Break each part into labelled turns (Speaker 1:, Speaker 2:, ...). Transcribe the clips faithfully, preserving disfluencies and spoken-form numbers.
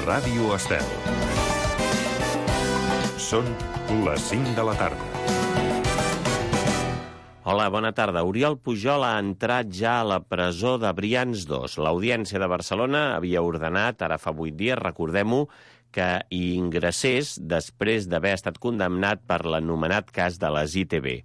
Speaker 1: Ràdio Estel. Són les cinc de la tarda.
Speaker 2: Hola, bona tarda. Oriol Pujol ha entrat ja a la presó de Brians dos. L'Audiència de Barcelona havia ordenat, ara fa vuit dies, recordem-ho, que hi ingressés després d'haver estat condemnat per l'anomenat cas de les I T B.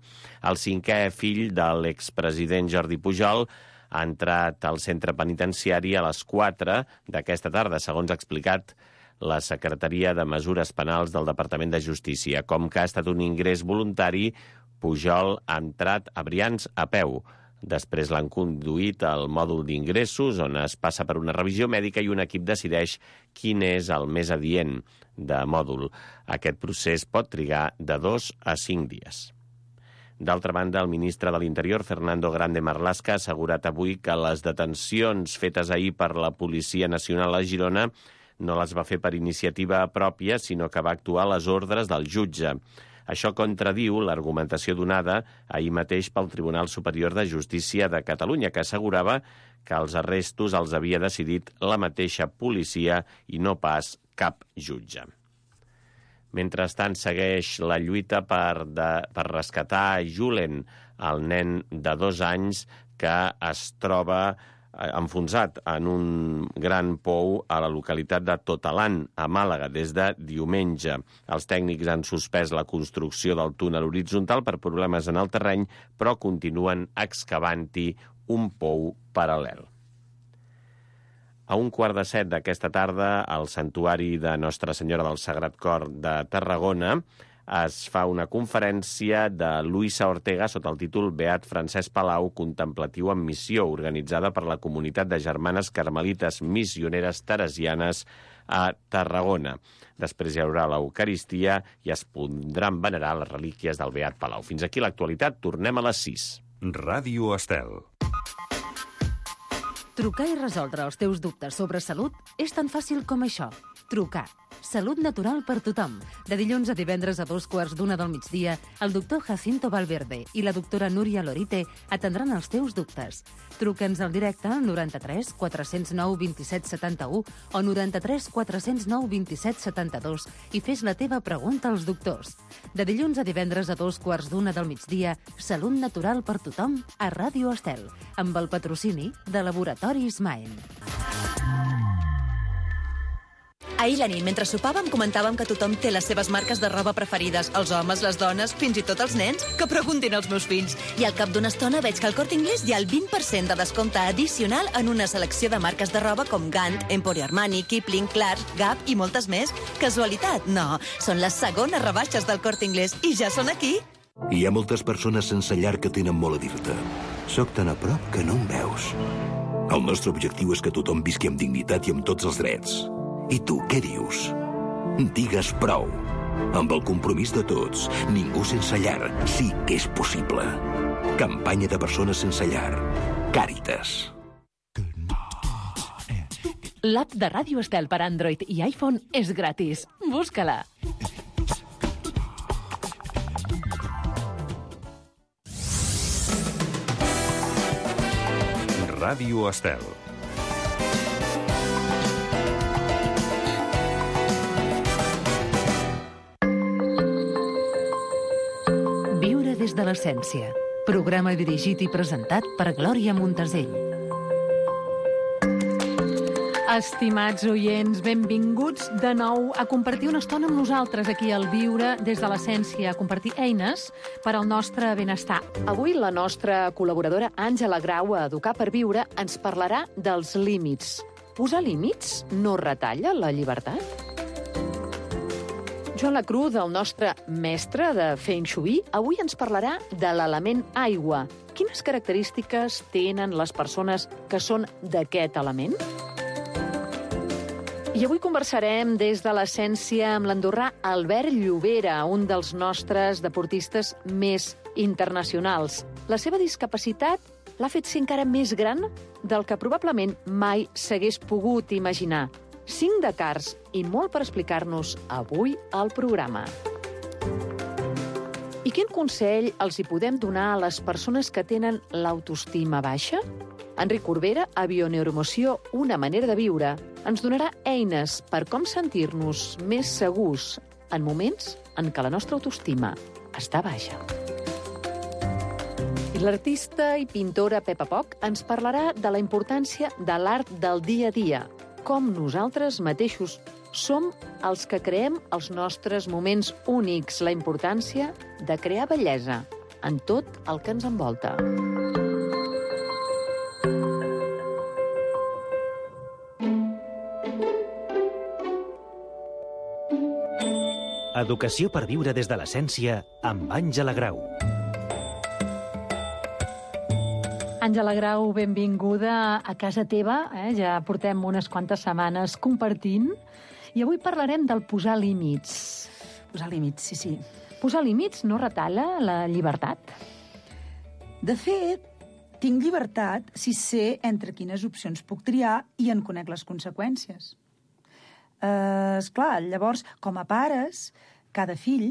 Speaker 2: El cinquè fill de l'expresident Jordi Pujol ha entrat al centre penitenciari a les quatre d'aquesta tarda, segons ha explicat la Secretaria de Mesures Penals del Departament de Justícia. Com que ha estat un ingrés voluntari, Pujol ha entrat a Brians a peu. Després l'han conduït al mòdul d'ingressos, on es passa per una revisió mèdica i un equip decideix quin és el més adient de mòdul. Aquest procés pot trigar de dos a cinc dies. D'altra banda, el ministre de l'Interior, Fernando Grande Marlaska, ha assegurat avui que les detencions fetes ahir per la Policia Nacional a Girona no les va fer per iniciativa pròpia, sinó que va actuar a les ordres del jutge. Això contradiu l'argumentació donada ahir mateix pel Tribunal Superior de Justícia de Catalunya, que assegurava que els arrestos els havia decidit la mateixa policia i no pas cap jutge. Mentrestant, segueix la lluita per, de, per rescatar Julen, el nen de dos anys que es troba enfonsat en un gran pou a la localitat de Totalan, a Màlaga, des de diumenge. Els tècnics han suspès la construcció del túnel horitzontal per problemes en el terreny, però continuen excavant-hi un pou paral·lel. A un quart de set d'aquesta tarda, al Santuari de Nostra Senyora del Sagrat Cor de Tarragona, es fa una conferència de Luisa Ortega sota el títol Beat Francesc Palau, contemplatiu en missió, organitzada per la comunitat de germanes carmelites missioneres teresianes a Tarragona. Després hi haurà l'Eucaristia i es podran venerar les relíquies del Beat Palau. Fins aquí l'actualitat, tornem a les sis.
Speaker 1: Ràdio Estel.
Speaker 3: Trucar i resoldre els teus dubtes sobre salut és tan fàcil com això. Trucar. Salut natural per tothom. De dilluns a divendres a dos quarts d'una del migdia, el doctor Jacinto Valverde i la doctora Núria Lorite atendran els teus dubtes. Truca'ns al directe al noranta-tres quatre zero nou vint set setanta-u o noranta-tres quatre zero nou vint set setanta-dos i fes la teva pregunta als doctors. De dilluns a divendres a dos quarts d'una del migdia, Salut natural per tothom a Ràdio Estel, amb el patrocini de Laboratoris Maen.
Speaker 4: Ahir la nit, mentre sopàvem, comentàvem que tothom té les seves marques de roba preferides. Els homes, les dones, fins i tot els nens. Que preguntin als meus fills. I al cap d'una estona veig que al Corte Inglés hi ha el vint per cent de descompte addicional en una selecció de marques de roba com Gant, Emporio Armani, Kipling, Clarks, Gap i moltes més. Casualitat? No. Són les segones rebaixes del Corte Inglés i ja són aquí.
Speaker 5: Hi ha moltes persones sense llar que tenen molt a dir-te. Soc tan a prop que no em veus. El nostre objectiu és que tothom visqui amb dignitat i amb tots els drets. I tu, què dius? Digues prou. Amb el compromís de tots, ningú sense llar sí que és possible. Campanya de persones sense llar. Càritas.
Speaker 3: L'app de Ràdio Estel per Android i iPhone és gratis. Busca-la.
Speaker 1: Ràdio Estel.
Speaker 3: Des de l'essència. Programa dirigit i presentat per Glòria Montesell. Estimats oients, benvinguts de nou a compartir una estona amb nosaltres aquí al Viure des de l'essència, a compartir eines per al nostre benestar. Avui la nostra col·laboradora Àngela Grau a Educar per Viure ens parlarà dels límits. Posar límits no retalla la llibertat? Joan Lacru, del nostre mestre de Feng Shui, avui ens parlarà de l'element aigua. Quines característiques tenen les persones que són d'aquest element? I avui conversarem des de l'essència amb l'andorrà Albert Llobera, un dels nostres deportistes més internacionals. La seva discapacitat l'ha fet ser encara més gran del que probablement mai s'hagués pogut imaginar. Cinc Dakars i molt per explicar-nos avui al programa. I quin consell els hi podem donar a les persones que tenen l'autoestima baixa?
Speaker 6: Enric Corbera, a Bioneuroemoció, una manera de viure, ens donarà eines per com sentir-nos més segurs en moments en què la nostra autoestima està baixa. I l'artista i pintora Pepa Poch ens parlarà de la importància de l'art del dia a dia, com nosaltres mateixos som els que creem els nostres moments únics, la importància de crear bellesa en tot el que ens envolta.
Speaker 7: Educació per viure des de l'essència amb Àngela Grau.
Speaker 8: Àngela Grau, benvinguda a casa teva. Eh? Ja portem unes quantes setmanes compartint. I avui parlarem del posar límits.
Speaker 9: Posar límits, sí, sí.
Speaker 8: Posar límits no retalla la llibertat?
Speaker 9: De fet, tinc llibertat si sé entre quines opcions puc triar i en conec les conseqüències. Uh, esclar, llavors, com a pares, cada fill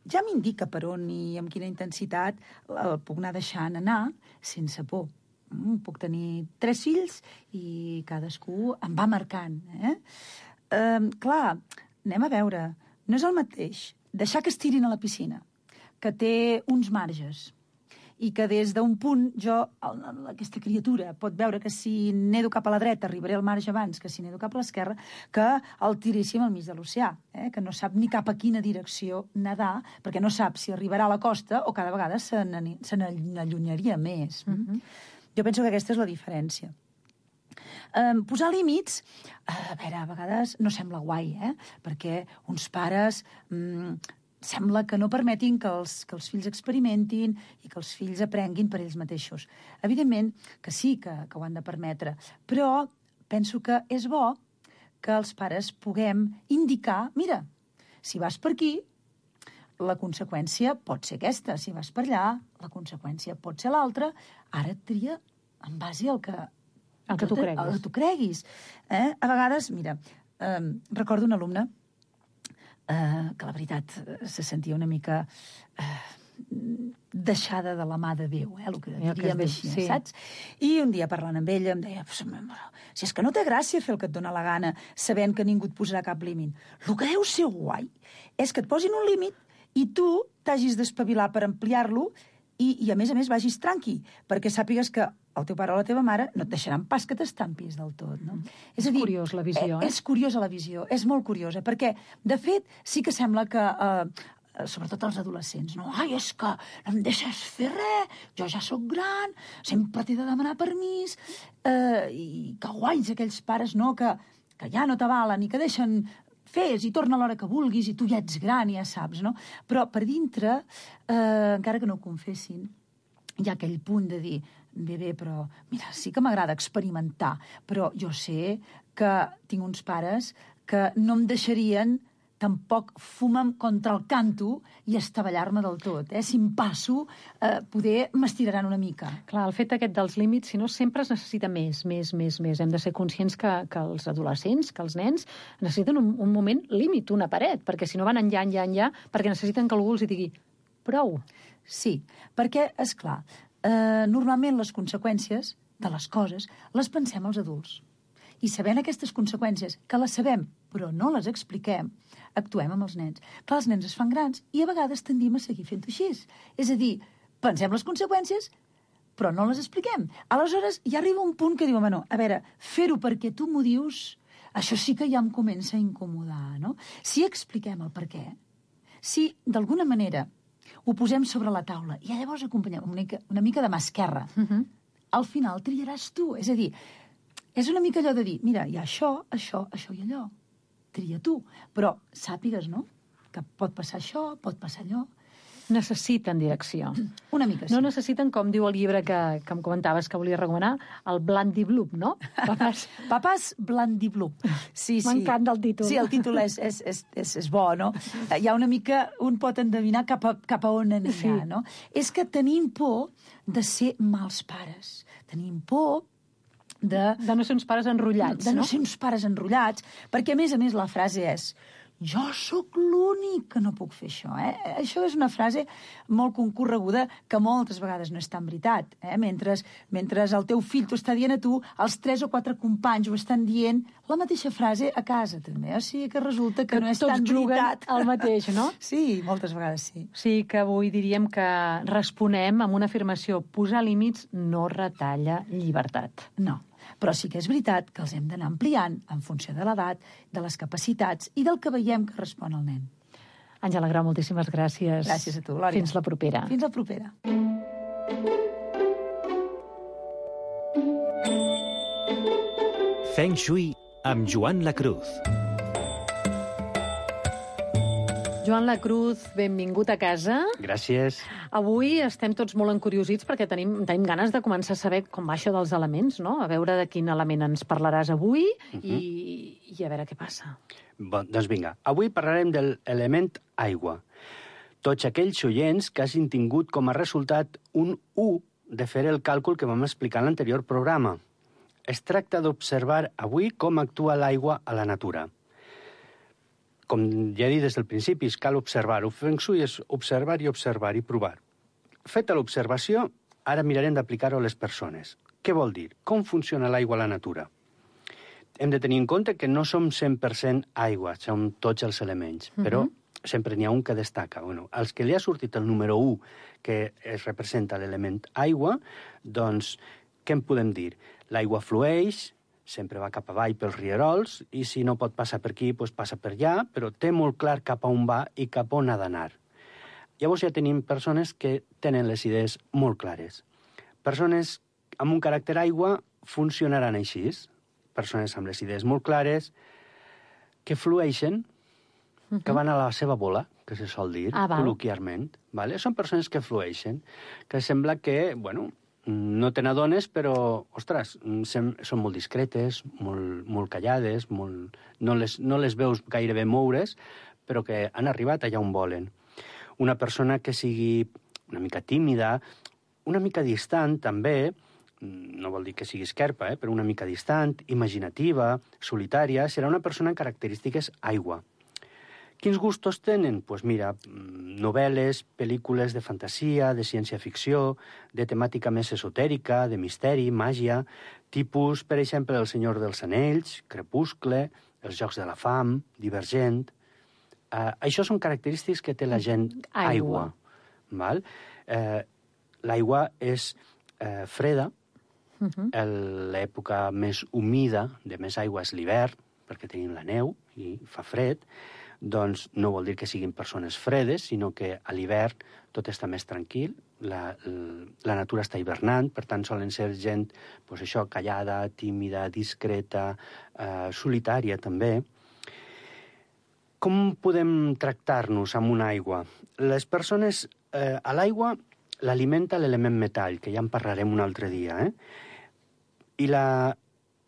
Speaker 9: ja m'indica per on i amb quina intensitat el puc anar deixant anar sense por. Mm, puc tenir tres fills i cadascú em va marcant. Eh? Uh, clar, anem a veure, no és el mateix deixar que es tirin a la piscina, que té uns marges, i que des d'un punt jo, aquesta criatura, pot veure que si nedo cap a la dreta arribaré al marge abans que si nedo cap a l'esquerra, que el tiréssim al mig de l'oceà, eh? Que no sap ni cap a quina direcció nedar, perquè no sap si arribarà a la costa o cada vegada se n'allunyaria més. Mm-hmm. Jo penso que aquesta és la diferència. Um, posar límits, a veure, a vegades no sembla guai, eh? Perquè uns pares um, sembla que no permetin que els, que els fills experimentin i que els fills aprenguin per ells mateixos. Evidentment que sí, que, que ho han de permetre, però penso que és bo que els pares puguem indicar, mira, si vas per aquí, la conseqüència pot ser aquesta, si vas per allà, la conseqüència pot ser l'altra, ara tria en base al que...
Speaker 8: El que tu creguis.
Speaker 9: El que tu creguis. Eh? A vegades, mira, eh, recordo un alumne Uh, que la veritat se sentia una mica uh, deixada de la mà de Déu, eh, el que diríem així, sí. Saps? I un dia parlant amb ella em deia, si és que no té gràcia fer el que et dóna la gana sabent que ningú et posarà cap límit. El que deu ser guai és que et posin un límit i tu t'hagis d'espavilar per ampliar-lo i, i a més a més vagis tranqui, perquè sàpigues que el teu pare o la teva mare no et deixaran pas que t'estampis del tot, no?
Speaker 8: Mm.
Speaker 9: És,
Speaker 8: és
Speaker 9: a dir,
Speaker 8: curiós la visió, eh?
Speaker 9: És curiosa la visió, és molt curiosa, perquè, de fet, sí que sembla que, eh, sobretot els adolescents, no? Ai, és que no em deixes fer res, jo ja sóc gran, sempre t'he de demanar permís, eh, i que guais aquells pares, no?, que, que ja no t'avalen i que deixen fes i torna a l'hora que vulguis i tu ja ets gran i ja saps, no? Però per dintre, eh, encara que no ho confessin, hi ha aquell punt de dir, bé, bé, però mira, sí que m'agrada experimentar, però jo sé que tinc uns pares que no em deixarien tampoc fumar contra el canto i estavellar-me del tot. Eh? Si em passo, eh, poder m'estiraran una mica.
Speaker 8: Clar, el fet aquest dels límits, si no, sempre es necessita més, més, més, més. Hem de ser conscients que, que els adolescents, que els nens, necessiten un, un moment límit, una paret, perquè si no van enllà, enllà, enllà, perquè necessiten que algú els hi digui prou.
Speaker 9: Sí, perquè, és clar, eh, normalment les conseqüències de les coses les pensem els adults. I sabent aquestes conseqüències, que les sabem, però no les expliquem, actuem amb els nens. Clar, els nens es fan grans i a vegades tendim a seguir fent-ho així. És a dir, pensem les conseqüències, però no les expliquem. Aleshores, ja arriba un punt que diu, home, no, a veure, fer-ho perquè tu m'ho dius, això sí que ja em comença a incomodar, no? Si expliquem el per què, si d'alguna manera ho posem sobre la taula i llavors acompanyem una mica, una mica de mà esquerra, uh-huh. Al final triaràs tu. És a dir, és una mica allò de dir, mira, hi ha això, això, això i allò. Tria tu. Però sàpigues, no?, que pot passar això, pot passar allò.
Speaker 8: Necessiten direcció.
Speaker 9: Una mica, sí.
Speaker 8: No necessiten, com diu el llibre que, que em comentaves que volia recomanar, el Blandiblup, no?
Speaker 9: Papàs, Papàs Blandiblup. Sí, sí.
Speaker 8: M'encanta el títol.
Speaker 9: Sí, el títol és, és, és, és, és bo, no? Hi ha una mica, un pot endevinar cap a, cap a on anirà, sí. No? És que tenim por de ser mals pares. Tenim por de...
Speaker 8: De no ser uns pares enrotllats,
Speaker 9: de no?
Speaker 8: no?
Speaker 9: ser uns pares enrotllats, perquè, a més a més, la frase és jo sóc l'únic que no puc fer això. Eh? Això és una frase molt concorreguda que moltes vegades no és tan veritat. Eh? Mentre, mentre el teu fill t'ho està dient a tu, els tres o quatre companys ho estan dient la mateixa frase a casa, també. O sigui que resulta que, que no és tan veritat.
Speaker 8: El mateix, no?
Speaker 9: Sí, moltes vegades sí.
Speaker 8: Sí, que avui diríem que responem amb una afirmació: posar límits no retalla llibertat.
Speaker 9: No, però sí que és veritat que els hem d'anar ampliant en funció de l'edat, de les capacitats i del que veiem que respon el nen.
Speaker 8: Àngela Grau, moltíssimes gràcies.
Speaker 9: Gràcies a tu, Glòria.
Speaker 8: Fins la propera.
Speaker 9: Fins la propera.
Speaker 7: Feng Shui amb Joan Lacruz.
Speaker 8: Joan Lacruz, benvingut a casa.
Speaker 10: Gràcies.
Speaker 8: Avui estem tots molt encuriosits perquè tenim, tenim ganes de començar a saber com va això dels elements, no? A veure de quin element ens parlaràs avui uh-huh. i, i a veure què passa.
Speaker 10: Bon, doncs vinga, avui parlarem de l'element aigua. Tots aquells oients que hagin tingut com a resultat un u de fer el càlcul que vam explicar en l'anterior programa. Es tracta d'observar avui com actua l'aigua a la natura. Com ja he dit des del principi, cal observar-ho. Feng Shui és observar i observar i provar. Feta l'observació, ara mirarem d'aplicar-ho a les persones. Què vol dir? Com funciona l'aigua a la natura? Hem de tenir en compte que no som cent per cent aigua, som tots els elements, uh-huh. però sempre n'hi ha un que destaca. Bueno, als que li ha sortit el número u, que es representa l'element aigua, doncs, què en podem dir? L'aigua flueix, sempre va cap avall pels rierols, i si no pot passar per aquí, doncs passa per allà, però té molt clar cap a on va i cap a on ha d'anar. Llavors ja tenim persones que tenen les idees molt clares. Persones amb un caràcter aigua funcionaran així. Persones amb les idees molt clares, que flueixen, uh-huh. que van a la seva bola, que se sol dir,
Speaker 8: ah,
Speaker 10: col·loquialment. Vale? Són persones que flueixen, que sembla que, bueno, no te n'adones, però, ostres, són molt discretes, molt, molt callades, molt... No, les, no les veus gairebé moure's, però que han arribat allà on volen. Una persona que sigui una mica tímida, una mica distant, també, no vol dir que sigui esquerpa, eh, però una mica distant, imaginativa, solitària, serà una persona amb característiques aigua. Quins gustos tenen? Doncs pues mira, novel·les, pel·lícules de fantasia, de ciència-ficció, de temàtica més esotèrica, de misteri, màgia, tipus, per exemple, El Senyor dels Anells, Crepuscle, Els Jocs de la Fam, Divergent. Uh, això són característiques que té la gent aigua. aigua val? Uh, l'aigua és uh, freda, uh-huh. l'època més humida de més aigua és l'hivern, perquè tenim la neu i fa fred. Doncs no vol dir que siguin persones fredes, sinó que a l'hivern tot està més tranquil, la, la natura està hivernant, per tant solen ser gent, doncs això, callada, tímida, discreta, eh, solitària també. Com podem tractar-nos amb una aigua? Les persones, eh, a l'aigua l'alimenta l'element metall, que ja en parlarem un altre dia, eh? I, la,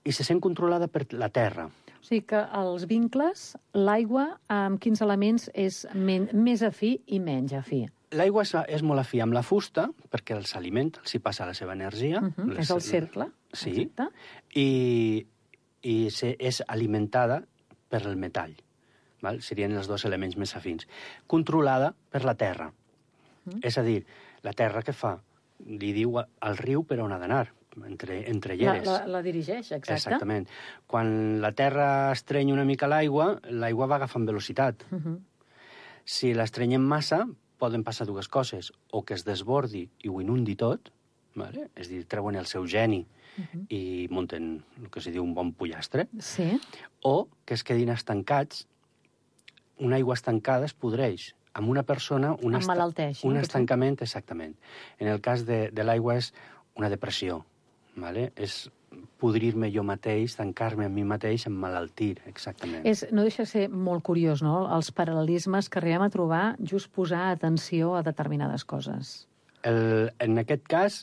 Speaker 10: i se sent controlada per la terra.
Speaker 8: O sigui que els vincles, l'aigua, amb quins elements és men més afí i menys afí?
Speaker 10: L'aigua és, és molt afí amb la fusta, perquè els alimenta, els hi passa la seva energia.
Speaker 8: Uh-huh.
Speaker 10: les,
Speaker 8: és el cercle.
Speaker 10: Sí,
Speaker 8: exacte.
Speaker 10: i, i se, és alimentada per el metall. Val? Serien els dos elements més afins. Controlada per la terra. Uh-huh. És a dir, la terra què fa? Li diu al riu per on ha d'anar. Entre, entre lleres.
Speaker 8: La, la, la dirigeix, exacte.
Speaker 10: Exactament. Quan la terra estreny una mica l'aigua, l'aigua va agafant velocitat. Uh-huh. Si l'estrenyem massa, poden passar dues coses. O que es desbordi i ho inundi tot, vale? És a dir, treuen el seu geni uh-huh. i munten el que se diu un bon pollastre.
Speaker 8: Sí.
Speaker 10: O que es quedin estancats. Una aigua estancada es podreix. Amb una persona... Un
Speaker 8: emmalalteix.
Speaker 10: Un estancament, exactament. En el cas de, de l'aigua és una depressió. Vale? És podrir-me jo mateix, tancar-me a mi mateix, emmalaltir, exactament.
Speaker 8: És, no deixa de ser molt curiós, no?, els paral·lelismes que arribem a trobar just posar atenció a determinades coses.
Speaker 10: El, en aquest cas,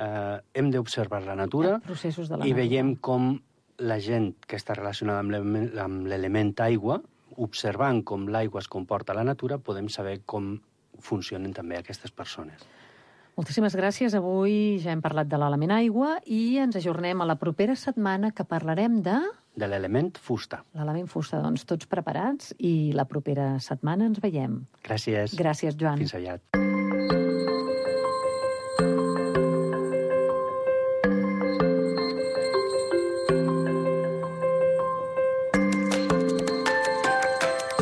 Speaker 10: eh, hem d'observar la natura
Speaker 8: processos de la
Speaker 10: i
Speaker 8: natura.
Speaker 10: veiem com la gent que està relacionada amb l'element aigua, observant com l'aigua es comporta a la natura, podem saber com funcionen també aquestes persones.
Speaker 8: Moltíssimes gràcies. Avui ja hem parlat de l'element aigua i ens ajornem a la propera setmana que parlarem de...
Speaker 10: de l'element fusta.
Speaker 8: L'element fusta, doncs tots preparats i la propera setmana ens veiem.
Speaker 10: Gràcies.
Speaker 8: Gràcies, Joan.
Speaker 10: Fins aviat.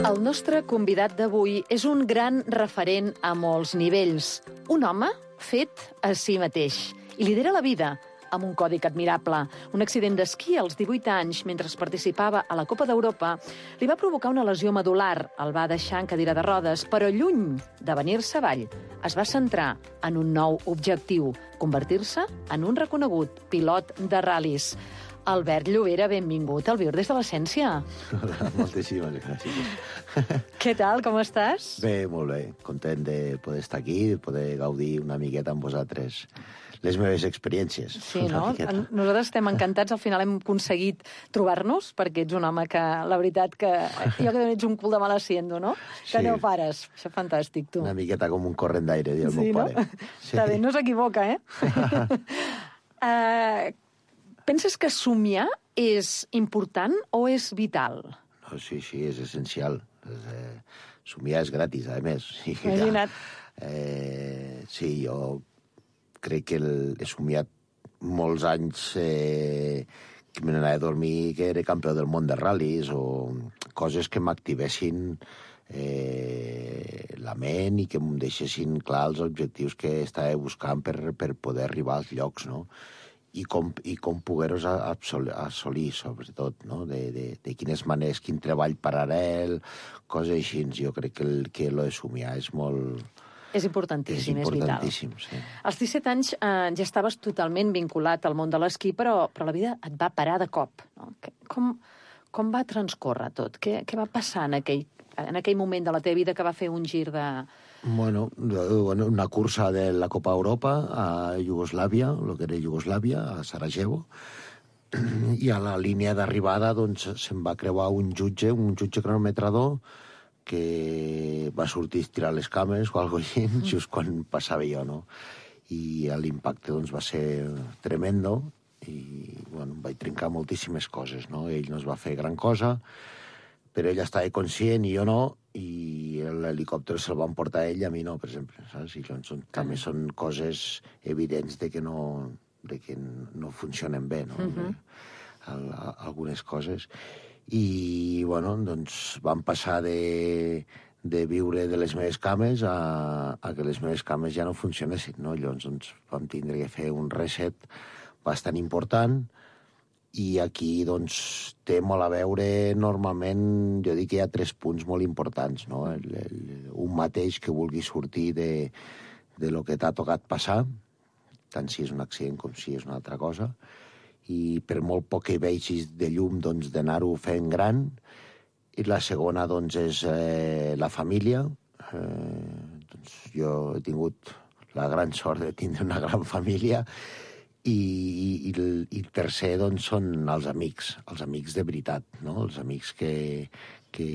Speaker 6: El nostre convidat d'avui és un gran referent a molts nivells. Un home fet a si mateix. I lidera la vida amb un còdic admirable. Un accident d'esquí als divuit anys, mentre participava a la Copa d'Europa, li va provocar una lesió medular. El va deixar en cadira de rodes, però lluny de venir-se avall, es va centrar en un nou objectiu, convertir-se en un reconegut pilot de ral·lis. Albert Llobera, benvingut al Viure des de l'Essència.
Speaker 11: Hola, moltíssimes gràcies.
Speaker 6: Què tal, com estàs?
Speaker 11: Bé, molt bé. Content de poder estar aquí, de poder gaudir una miqueta amb vosaltres les meves experiències.
Speaker 6: Sí, no? Nosaltres estem encantats. Al final hem aconseguit trobar-nos, perquè ets un home que, la veritat, que jo que ets un cul de mal haciendo, no? Que
Speaker 11: Sí.
Speaker 6: no pares. Això és fantàstic, tu.
Speaker 11: Una miqueta com un corrent d'aire, diu el
Speaker 6: Sí,
Speaker 11: meu
Speaker 6: no?
Speaker 11: pare.
Speaker 6: Està bé, no s'equivoca, eh? uh, penses que somiar és important o és vital?
Speaker 11: No, sí, sí, és essencial. És, eh, somiar és gratis, a més. Sí,
Speaker 6: Imagina't.
Speaker 11: Eh, sí, jo crec que el, he somiat molts anys eh, que me n'anava a dormir que era campió del món de ral·lis o coses que m'activessin eh, la ment i que em deixessin clar els objectius que estava buscant per, per poder arribar als llocs, no? I com, i com poder-los assolir, assolir, sobretot, no? De, de, de quines maneres, quin treball paral·lel, coses així. Jo crec que el, que lo de somiar és molt...
Speaker 6: És importantíssim, és,
Speaker 11: és
Speaker 6: vital.
Speaker 11: importantíssim, sí.
Speaker 6: Als disset anys eh, ja estaves totalment vinculat al món de l'esquí, però, però la vida et va parar de cop. No? Que- Com, com va transcórrer tot? Què, què va passar en aquell, en aquell moment de la teva vida que va fer un gir de...
Speaker 11: Bueno, bueno, una cursa de la Copa Europa a Iugoslàvia, el que era Iugoslàvia, a Sarajevo, i a la línia d'arribada doncs, se'n va creuar un jutge, un jutge cronometrador, que va sortir a estirar les cames o alguna cosa així, just quan passava jo, no? I l'impacte doncs, va ser tremendo i bueno, vaig trencar moltíssimes coses, no? Ell no es va fer gran cosa, però ell estava conscient i jo no, i l'helicòpter se'l van portar a ell i a mi no, per exemple, saps? I doncs, són, també són coses evidents de que no, de que no funcionen bé, no?
Speaker 6: Mhm.
Speaker 11: Al, a, algunes coses. I, bueno, doncs vam passar de, de viure de les meves cames a, a que les meves cames ja no funcionessin, no? Llavors doncs, vam tindre que fer un reset bastant important i aquí doncs, té molt a veure, normalment, jo dic que hi ha tres punts molt importants, no? El, el, un mateix que vulgui sortir de, de lo que t'ha tocat passar, tant si és un accident com si és una altra cosa, i per molt poc que vegis de llum, doncs, d'anar-ho fent gran. I la segona, doncs, és eh, la família. Eh, doncs, jo he tingut la gran sort de tindre una gran família. I, i, el, i el tercer, doncs, són els amics, els amics de veritat, no? Els amics que, que,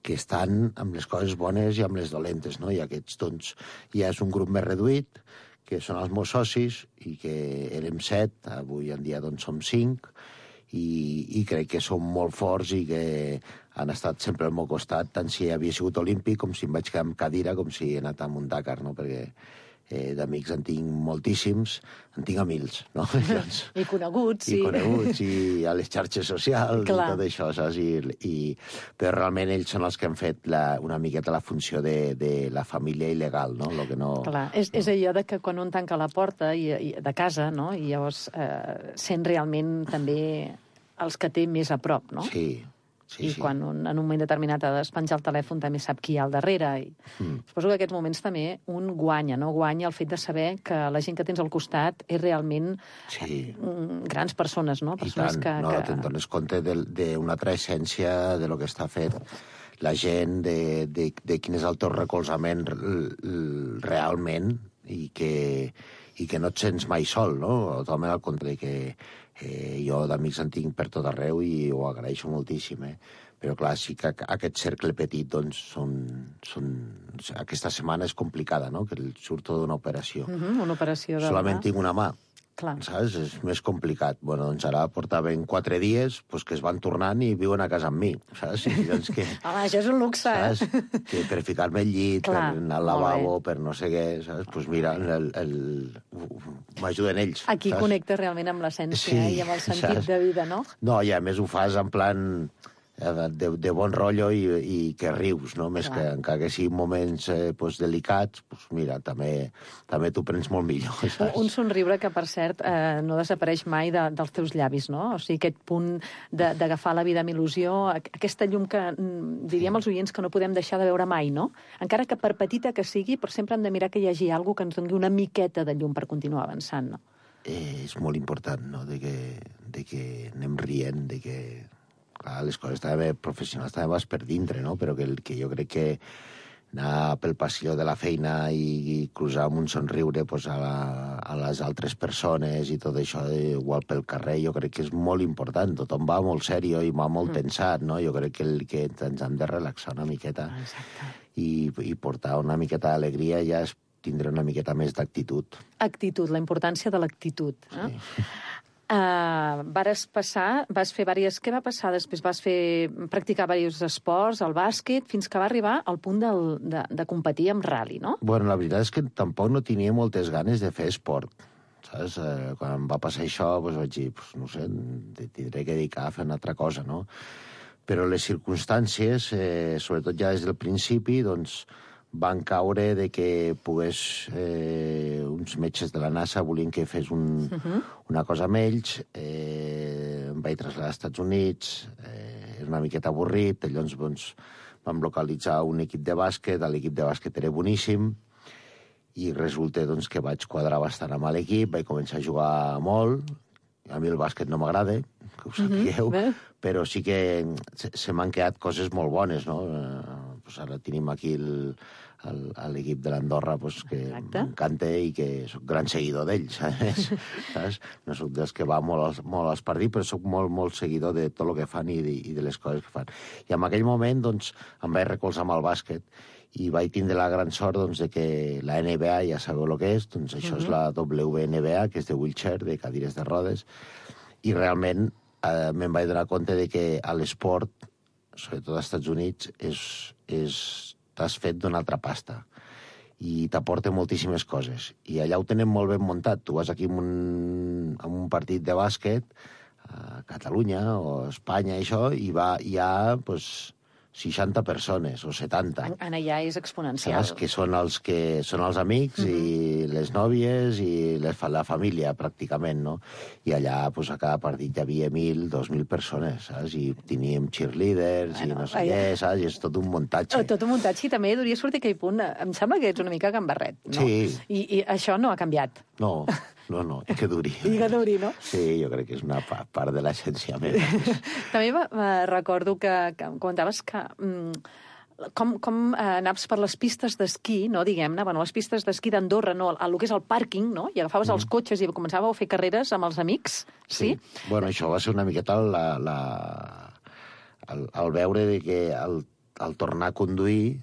Speaker 11: que estan amb les coses bones i amb les dolentes, no? I aquests, doncs, ja és un grup més reduït, que són els meus socis, i que érem set, avui en dia doncs som cinc, i, i crec que som molt forts i que han estat sempre al meu costat, tant si havia sigut olímpic com si em vaig quedar amb cadira, com si he anat a un Dakar, no? Perquè eh, d'amics en tinc moltíssims, en tinc a mils, no? Llavors,
Speaker 6: I coneguts, sí.
Speaker 11: i coneguts, i a les xarxes socials,
Speaker 6: Clar.
Speaker 11: i tot això, saps? I, i, però realment ells són els que han fet la, una miqueta la funció de, de la família il·legal, no? Lo que no...
Speaker 6: Clar, és, és allò de que quan un tanca la porta i, i, de casa, no? I llavors eh, sent realment també els que té més a prop, no?
Speaker 11: Sí, sí,
Speaker 6: I
Speaker 11: sí.
Speaker 6: quan un, en un moment determinat ha de despenjar el telèfon també sap qui hi ha al darrere. I
Speaker 11: Mm.
Speaker 6: suposo que en aquests moments també un guanya, no? Guanya el fet de saber que la gent que tens al costat és realment
Speaker 11: Sí.
Speaker 6: mm, grans persones, no?
Speaker 11: I
Speaker 6: Persones
Speaker 11: tant,
Speaker 6: que,
Speaker 11: no,
Speaker 6: que...
Speaker 11: te'n dones compte d'una altra essència de lo que està fet la gent, de, de, de quin és el teu recolzament l- l- realment i que, i que no et sents mai sol, no? Totalment al contrari, que eh, jo d'amics en tinc per tot arreu i ho agraeixo moltíssim, eh? Però clar, sí que aquest cercle petit, doncs, són, són... aquesta setmana és complicada, no? Que el surto d'una operació.
Speaker 6: Uh -huh, una operació de...
Speaker 11: Solament tinc una mà,
Speaker 8: Clar.
Speaker 11: Saps? És més complicat. Bueno, doncs ara portaven quatre dies pues, que es van tornant i viuen a casa amb mi, saps? I doncs que...
Speaker 8: Home, això és un luxe,
Speaker 11: saps?
Speaker 8: eh?
Speaker 11: Que per ficar-me al llit,
Speaker 8: Clar,
Speaker 11: per anar al lavabo, per no sé què, saps? Doncs pues mira, el, el... m'ajuden ells.
Speaker 8: Aquí
Speaker 11: saps?
Speaker 8: connectes realment amb l'essència
Speaker 11: Sí,
Speaker 8: i amb el sentit
Speaker 11: saps?
Speaker 8: de vida, no?
Speaker 11: No, i a més ho fas en plan de, de bon rotllo i, i que rius, no? Més
Speaker 8: Clar.
Speaker 11: que encara que siguin moments eh, pues, delicats, pues, mira, també, també t'ho prens molt millor, saps?
Speaker 8: Un somriure que, per cert, eh, no desapareix mai de, dels teus llavis, no? O sigui, aquest punt de- d'agafar la vida amb il·lusió, aqu- aquesta llum que mm, diríem als oients que no podem deixar de veure mai, no? Encara que per petita que sigui, però sempre hem de mirar que hi hagi alguna que ens doni una miqueta de llum per continuar avançant, no?
Speaker 11: Eh, és molt important, no?, de que, de que anem rient, de que... Clar, les coses també professionals també vas per dintre, no?, però que, el- que jo crec que anar pel passillo de la feina i, i cruzar amb un somriure pues, a, la, a les altres persones i tot això, eh, igual pel carrer, jo crec que és molt important. Tothom va molt serio i va molt tensat, no? Jo crec que, el, que ens hem de relaxar una miqueta i, i portar una miqueta d'alegria ja és tindre una miqueta més d'actitud.
Speaker 8: Actitud, la importància de l'actitud. Eh? Uh, vares passar, vas fer diverses... Què va passar després? Vas fer practicar diversos esports, el bàsquet, fins que va arribar al punt del, de, de competir amb rally, no?
Speaker 11: Bueno, la veritat és que tampoc no tenia moltes ganes de fer esport. Saps? Eh, quan em va passar això, doncs vaig dir, pues, no sé, tindré que dedicar a fer una altra cosa, no? Però les circumstàncies, eh, sobretot ja des del principi, doncs, van caure de que pogués... Eh, uns metges de la NASA volien que fes un,
Speaker 8: Uh-huh.
Speaker 11: una cosa amb ells, eh, em vaig traslladar als Estats Units, eh, era una miqueta avorrit, llavors doncs, vam localitzar un equip de bàsquet, l'equip de bàsquet era boníssim, i resulta doncs, que vaig quadrar bastant amb l'equip, vaig començar a jugar molt, a mi el bàsquet no m'agrada, que ho sapigueu,
Speaker 8: Mhm, bé.
Speaker 11: però sí que se, se m'han quedat coses molt bones, no? Eh, pues ara tenim aquí el, el, l'equip de l'Andorra pues, que m'encanta i que soc gran seguidor d'ells, saps? saps? No soc dels que va molt als, molt als partits, però soc molt, molt seguidor de tot el que fan i de, i de les coses que fan. I en aquell moment doncs, em vaig recolzar amb el bàsquet i vaig tindre la gran sort doncs, de que la N B A, ja sabeu el que és, doncs això uh -huh. és la W N B A, que és de wheelchair, de cadires de rodes, i realment eh, me'n vaig donar compte de que a l'esport, sobretot als Estats Units, és, és, t'has fet d'una altra pasta i t'aporta moltíssimes coses. I allà ho tenen molt ben muntat. Tu vas aquí en un, en un partit de bàsquet a Catalunya o a Espanya, això, i va, hi ha pues, seixanta persones o setanta.
Speaker 8: En allà és exponencial.
Speaker 11: Saps? Que són els, que són els amics uh -huh. i les nòvies i les, la família, pràcticament, no? I allà, pues, a cada partit hi havia mil, dos mil persones, saps? I teníem cheerleaders bueno, i no sé allà... què, saps? I és tot un muntatge.
Speaker 8: Tot un muntatge, i també hauria sortit aquell punt. Em sembla que ets una mica gambarret, no?
Speaker 11: Sí.
Speaker 8: I, I això no ha canviat.
Speaker 11: No, no, no, i que duri.
Speaker 8: I que duri, no?
Speaker 11: Sí, jo crec que és una part de l'essència meva.
Speaker 8: També va, va, recordo que, que comentaves que mm, com, com eh, anaves per les pistes d'esquí, no, diguem-ne, bueno, les pistes d'esquí d'Andorra, no, el, el que és el pàrquing, no? I agafaves mm. els cotxes i començàveu a fer carreres amb els amics, sí? sí?
Speaker 11: Bueno, això va ser una miqueta la, la, el, el veure de que el, el tornar a conduir,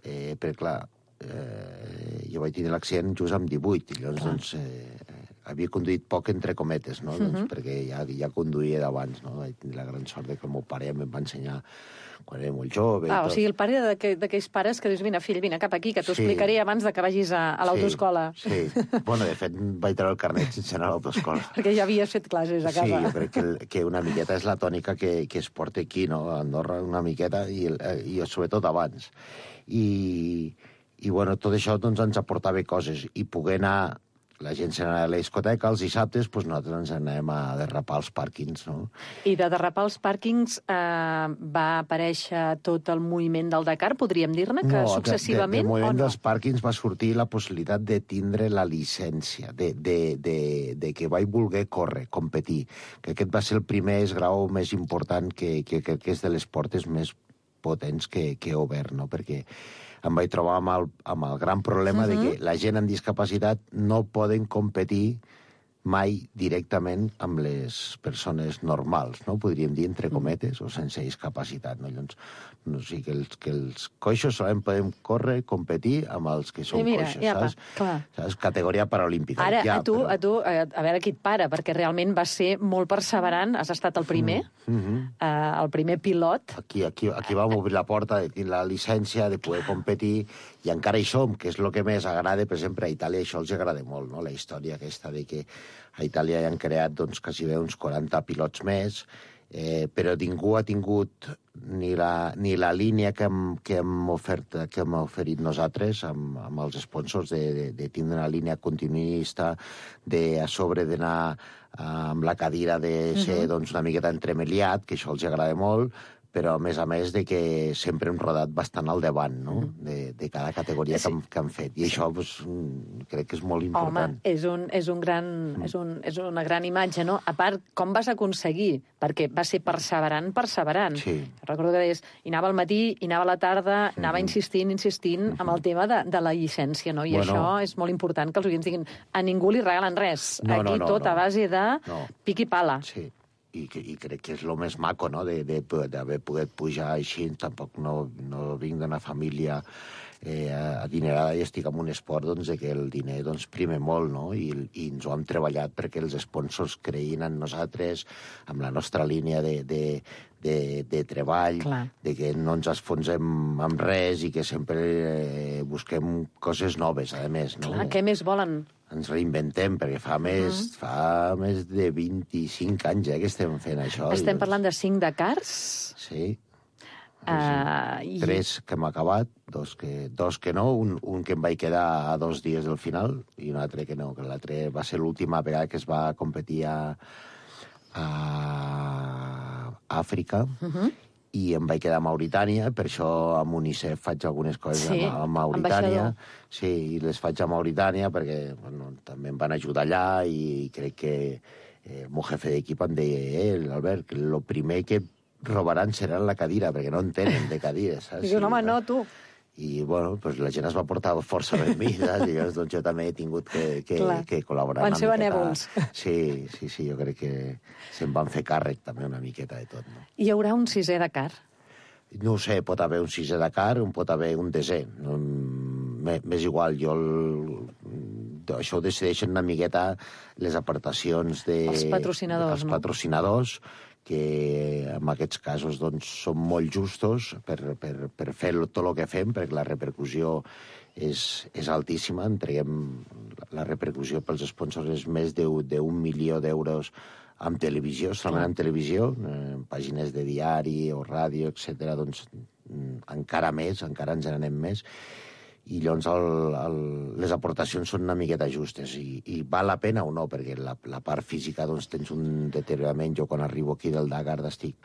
Speaker 11: eh, perquè, clar, eh, jo vaig tenir l'accident just amb divuit, i llavors, doncs, eh, havia conduït poc entre cometes, no? Uh -huh. doncs, perquè ja, ja conduïa d'abans, no? Vaig tenir la gran sort de que el meu pare em va ensenyar quan era molt jove.
Speaker 8: Ah,
Speaker 11: i tot.
Speaker 8: o sigui, el pare d'aquells pares que dius, vine, fill, vine cap aquí, que t'ho
Speaker 11: Sí.
Speaker 8: explicaré abans de que vagis a, a l'autoescola.
Speaker 11: Sí, sí. Bueno, de fet, vaig treure el carnet sense anar a l'autoescola.
Speaker 8: Perquè ja havies fet classes a casa.
Speaker 11: Sí, jo crec que, el, que una miqueta és la tònica que, que es porta aquí, no? A Andorra, una miqueta, i, el, i sobretot abans. I, i bueno, tot això doncs, ens aportava coses. I poder anar, la gent se n'anava a la discoteca, els dissabtes, doncs nosaltres ens anem a derrapar als pàrquings, no?
Speaker 8: I de derrapar als pàrquings eh, va aparèixer tot el moviment del Dakar, podríem dir-ne, que
Speaker 11: no,
Speaker 8: successivament,
Speaker 11: de, de, de moviment
Speaker 8: o no?
Speaker 11: dels pàrquings va sortir la possibilitat de tindre la llicència, de, de, de, de que vaig voler córrer, competir. Que aquest va ser el primer esgrau més important que, que, que, que és de les portes més potents que, que he obert, no? Perquè em vaig trobar amb el, amb el gran problema uh -huh. de que la gent amb discapacitat no poden competir mai directament amb les persones normals, no? Podríem dir entre cometes, o sense discapacitat, no? Llavors, no sé, que els, que els coixos solament podem córrer, competir amb els que són
Speaker 8: I mira,
Speaker 11: coixos,
Speaker 8: ja,
Speaker 11: saps?
Speaker 8: clar.
Speaker 11: Saps? Categoria paralímpica.
Speaker 8: Ara,
Speaker 11: ja,
Speaker 8: a tu,
Speaker 11: però...
Speaker 8: a tu, a, a veure qui et para, perquè realment va ser molt perseverant, has estat el primer,
Speaker 11: Mm -hmm.
Speaker 8: uh, el primer pilot.
Speaker 11: Aquí, aquí, aquí vam obrir la porta de tenir la llicència, de poder competir, i encara hi som, que és el que més agrada, per exemple, a Itàlia això els agrada molt, no? La història aquesta de que a Itàlia hi han creat, doncs, quasi bé uns quaranta pilots més, eh, però ningú ha tingut ni la, ni la línia que hem, que hem, ofert, que hem oferit nosaltres amb, amb els sponsors de, de, de tindre una línia continuista, de a sobre d'anar amb la cadira de ser uh-huh. doncs, una miqueta entremeliat, que això els agrada molt, però a més a més de que sempre hem rodat bastant al davant, no? de, de cada categoria sí. que, hem, que hem fet. I això pues, crec que és molt important.
Speaker 8: Home, és, un, és, un gran, mm. és, un, és una gran imatge, no? A part, com vas aconseguir? Perquè va ser perseverant, perseverant.
Speaker 11: Sí.
Speaker 8: Recordo que deies, hi anava al matí, hi anava a la tarda, anava mm. insistint, insistint mm -hmm. amb el tema de, de la llicència, no? I bueno, això és molt important que els oients diguin, a ningú li regalen res.
Speaker 11: No,
Speaker 8: Aquí
Speaker 11: no, no,
Speaker 8: tot
Speaker 11: no.
Speaker 8: a base de
Speaker 11: no.
Speaker 8: pic i pala.
Speaker 11: Sí. I, que, i crec que és el més maco, no?, d'haver pogut pujar així. Tampoc no, no vinc d'una família eh, adinerada i estic en un esport doncs, que el diner doncs, prime molt, no? I, i ens ho hem treballat perquè els sponsors creïn en nosaltres, amb la nostra línia de, de, de, de treball,
Speaker 8: Clar.
Speaker 11: de que no ens esfonsem amb res i que sempre eh, busquem coses noves, a més. No?
Speaker 8: Clar, què més volen?
Speaker 11: Ens reinventem, perquè fa més, uh -huh. fa més de vint-i-cinc anys eh, que estem fent això.
Speaker 8: Estem
Speaker 11: doncs...
Speaker 8: parlant de cinc Dakars?
Speaker 11: Sí.
Speaker 8: Uh,
Speaker 11: i... Tres que hem acabat, dos que, dos que no, un, un que em vaig quedar a dos dies del final i un altre que no, que l'altre va ser l'última vegada que es va competir a, a Àfrica. Uh -huh. I em vaig quedar a Mauritània, per això amb UNICEF faig algunes coses sí, a, a Mauritània.
Speaker 8: ambaixador.
Speaker 11: Sí, i les faig a Mauritània perquè bueno, també em van ajudar allà i crec que eh, el meu jefe d'equip em deia, eh, Albert, que el primer que robaran serà la cadira, perquè no en tenen de cadires, saps?
Speaker 8: I dius, home, no, tu.
Speaker 11: I, bueno, pues la gent es va portar força amb mi, saps? I llavors, doncs, jo també he tingut que, que, que col·laborar
Speaker 8: van
Speaker 11: una
Speaker 8: ser
Speaker 11: miqueta.
Speaker 8: benèvols.
Speaker 11: Sí, sí, sí, jo crec que se'n van fer càrrec també una miqueta de tot, no?
Speaker 8: Hi haurà un sisè Dakar?
Speaker 11: No ho sé, pot haver un sisè Dakar, un pot haver un desè. No, m'és igual, jo el, això ho decideixen una miqueta les aportacions de...
Speaker 8: Els patrocinadors,
Speaker 11: els
Speaker 8: no?
Speaker 11: patrocinadors, que en aquests casos doncs, són molt justos per, per, per fer tot el que fem, perquè la repercussió és, és altíssima. Entreguem la repercussió pels sponsors és més d'un milió d'euros en televisió, solament en televisió, en pàgines de diari o ràdio, etcètera, doncs encara més, encara ens n'anem més. I llavors el, el, les aportacions són una miqueta justes i, i val la pena o no, perquè la, la part física doncs, tens un deteriorament. Jo quan arribo aquí del Dakar estic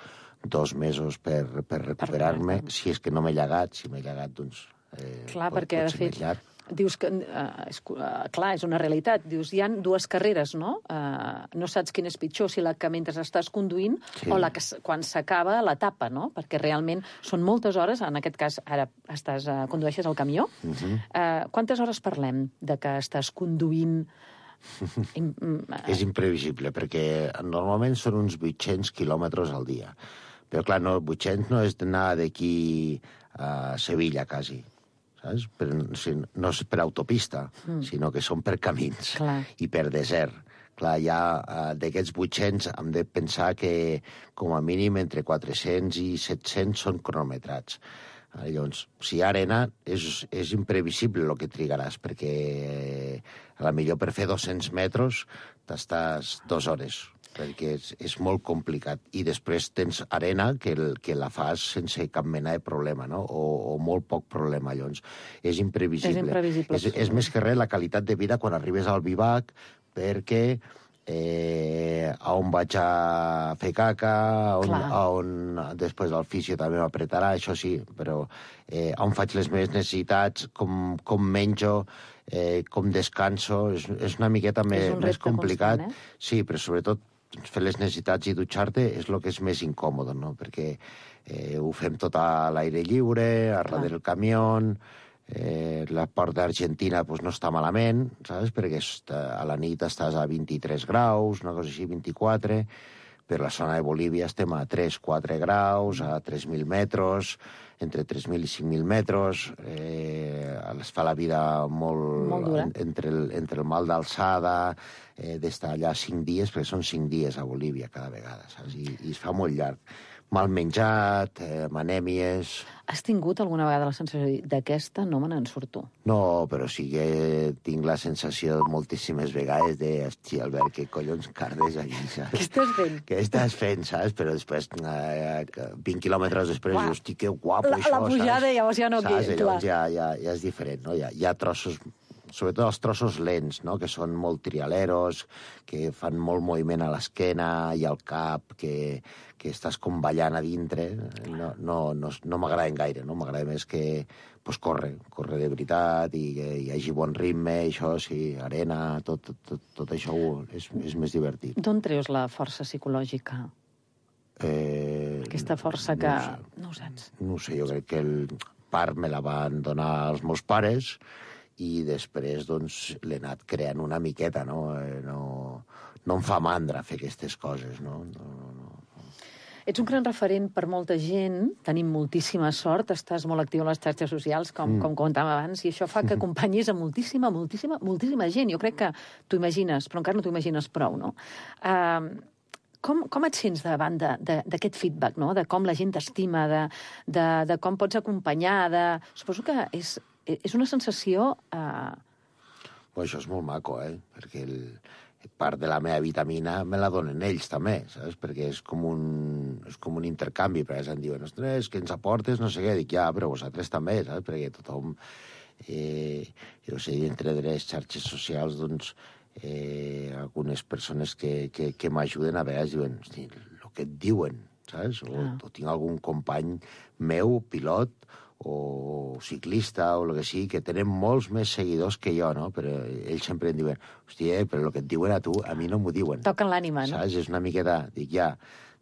Speaker 11: dos mesos per, per recuperar-me, si és que no m'he llagat, si m'he llagat doncs eh,
Speaker 8: clar,
Speaker 11: pot,
Speaker 8: perquè
Speaker 11: pot
Speaker 8: de
Speaker 11: ser
Speaker 8: fet
Speaker 11: més llarg.
Speaker 8: dius que, uh, és, uh, clar, és una realitat, dius, hi ha dues carreres, no? Uh, no saps quina és pitjor, si la que mentre estàs conduint
Speaker 11: Sí.
Speaker 8: o la que s- quan s'acaba l'etapa, no? Perquè realment són moltes hores, en aquest cas ara estàs, uh, condueixes el camió.
Speaker 11: Uh -huh.
Speaker 8: Uh, quantes hores parlem de que estàs conduint? Im- mm,
Speaker 11: És imprevisible, perquè normalment són uns vuit-cents quilòmetres al dia. Però, clar, no, vuit-cents no és d'anar d'aquí a Sevilla, quasi, saps? Per, si, no és per autopista, mm. sinó que són per camins
Speaker 8: Clar.
Speaker 11: i per desert. Clar, ja eh, d'aquests vuit-cents hem de pensar que com a mínim entre quatre-cents i set-cents són cronometrats. Eh, Llavors, si hi ha arena, és, és imprevisible el que trigaràs, perquè eh, a la millor per fer dos-cents metres t'estàs dues hores, perquè és, és molt complicat. I després tens arena que, el, que la fas sense cap mena de problema, no? O, o molt poc problema, llavors. És imprevisible.
Speaker 8: És imprevisible,
Speaker 11: És,
Speaker 8: sí.
Speaker 11: és més que res la qualitat de vida quan arribes al bivac, perquè eh, a on vaig a fer caca, a on,
Speaker 8: Clar.
Speaker 11: a on després el fisio també m'apretarà, això sí, però eh, on faig les meves necessitats, com, com menjo, eh, com descanso, és, és una miqueta
Speaker 8: És
Speaker 11: més,
Speaker 8: un
Speaker 11: més
Speaker 8: repte
Speaker 11: complicat.
Speaker 8: constant, eh?
Speaker 11: Sí, però sobretot fer les necessitats i dutxar-te és el que és més incòmode, no? Perquè eh, ho fem tot a l'aire lliure, a darrere del camió, Eh, la part d'Argentina pues, no està malament, saps? Perquè està, a la nit estàs a vint-i-tres graus, una cosa així, vint-i-quatre. Per la zona de Bolívia estem a tres quatre graus, a tres mil metres, entre tres mil i cinc mil metres. Eh, es fa la vida molt...
Speaker 8: Molt dura.
Speaker 11: Entre el, entre el mal d'alçada, eh, d'estar allà cinc dies, perquè són cinc dies a Bolívia cada vegada, saps? I, i es fa molt llarg. Mal menjat, eh, anèmies...
Speaker 8: Has tingut alguna vegada la sensació d'aquesta no me n'en surto?
Speaker 11: No, però sí que tinc la sensació moltíssimes vegades de, hòstia, Albert, què collons cardes aquí, saps?
Speaker 8: Què estàs fent?
Speaker 11: Què estàs fent, saps? Però després, eh, vint quilòmetres després,
Speaker 8: Uah.
Speaker 11: hosti, que guapo
Speaker 8: La,
Speaker 11: això,
Speaker 8: la pujada
Speaker 11: saps?
Speaker 8: llavors ja no...
Speaker 11: Saps?
Speaker 8: Clar.
Speaker 11: Llavors ja, ja, ja és diferent, no? Hi ha, hi ha trossos, sobretot els trossos lents, no? Que són molt trialeros, que fan molt moviment a l'esquena i al cap, que, que estàs com ballant a dintre. No, no, no, no m'agraden gaire, no? M'agrada més que pues, corre, corre de veritat i que hi hagi bon ritme, això sí, arena, tot, tot, tot, tot això és, és més divertit.
Speaker 8: D'on treus la força psicològica?
Speaker 11: Eh,
Speaker 8: Aquesta força que...
Speaker 11: no ho sé.
Speaker 8: No ho saps.
Speaker 11: No ho sé, jo crec que el part me la van donar els meus pares i després doncs, l'he anat creant una miqueta, no? Eh, no? No em fa mandra fer aquestes coses, no? No, no, no.
Speaker 8: Ets un gran referent per molta gent, tenim moltíssima sort, estàs molt actiu en les xarxes socials, com, mm. com comentàvem abans, i això fa que acompanyis a moltíssima, moltíssima, moltíssima gent. Jo crec que t'ho imagines, però encara no t'ho imagines prou, no? Uh, com, com et sents davant d'aquest feedback, no? De com la gent t'estima, de, de, de com pots acompanyar, de... Suposo que és, és una sensació... Uh...
Speaker 11: Pues això és molt maco, eh? Perquè el... part de la meva vitamina me la donen ells també, saps? Perquè és com un, és com un intercanvi, perquè em diuen, ostres, que ens aportes, no sé què, dic, ja, però vosaltres també, saps? Perquè tothom, eh, jo sé, entre les xarxes socials, doncs, eh, algunes persones que, que, que m'ajuden a vegades diuen, hosti, el que et diuen, saps? O, ah. o tinc algun company meu, pilot, o ciclista, o el que sigui, que tenen molts més seguidors que jo, no? Però ells sempre em diuen, hòstia, però el que et diuen a tu, a mi no m'ho diuen.
Speaker 8: Toquen l'ànima, no?
Speaker 11: Saps? És una miqueta... Dic, ja,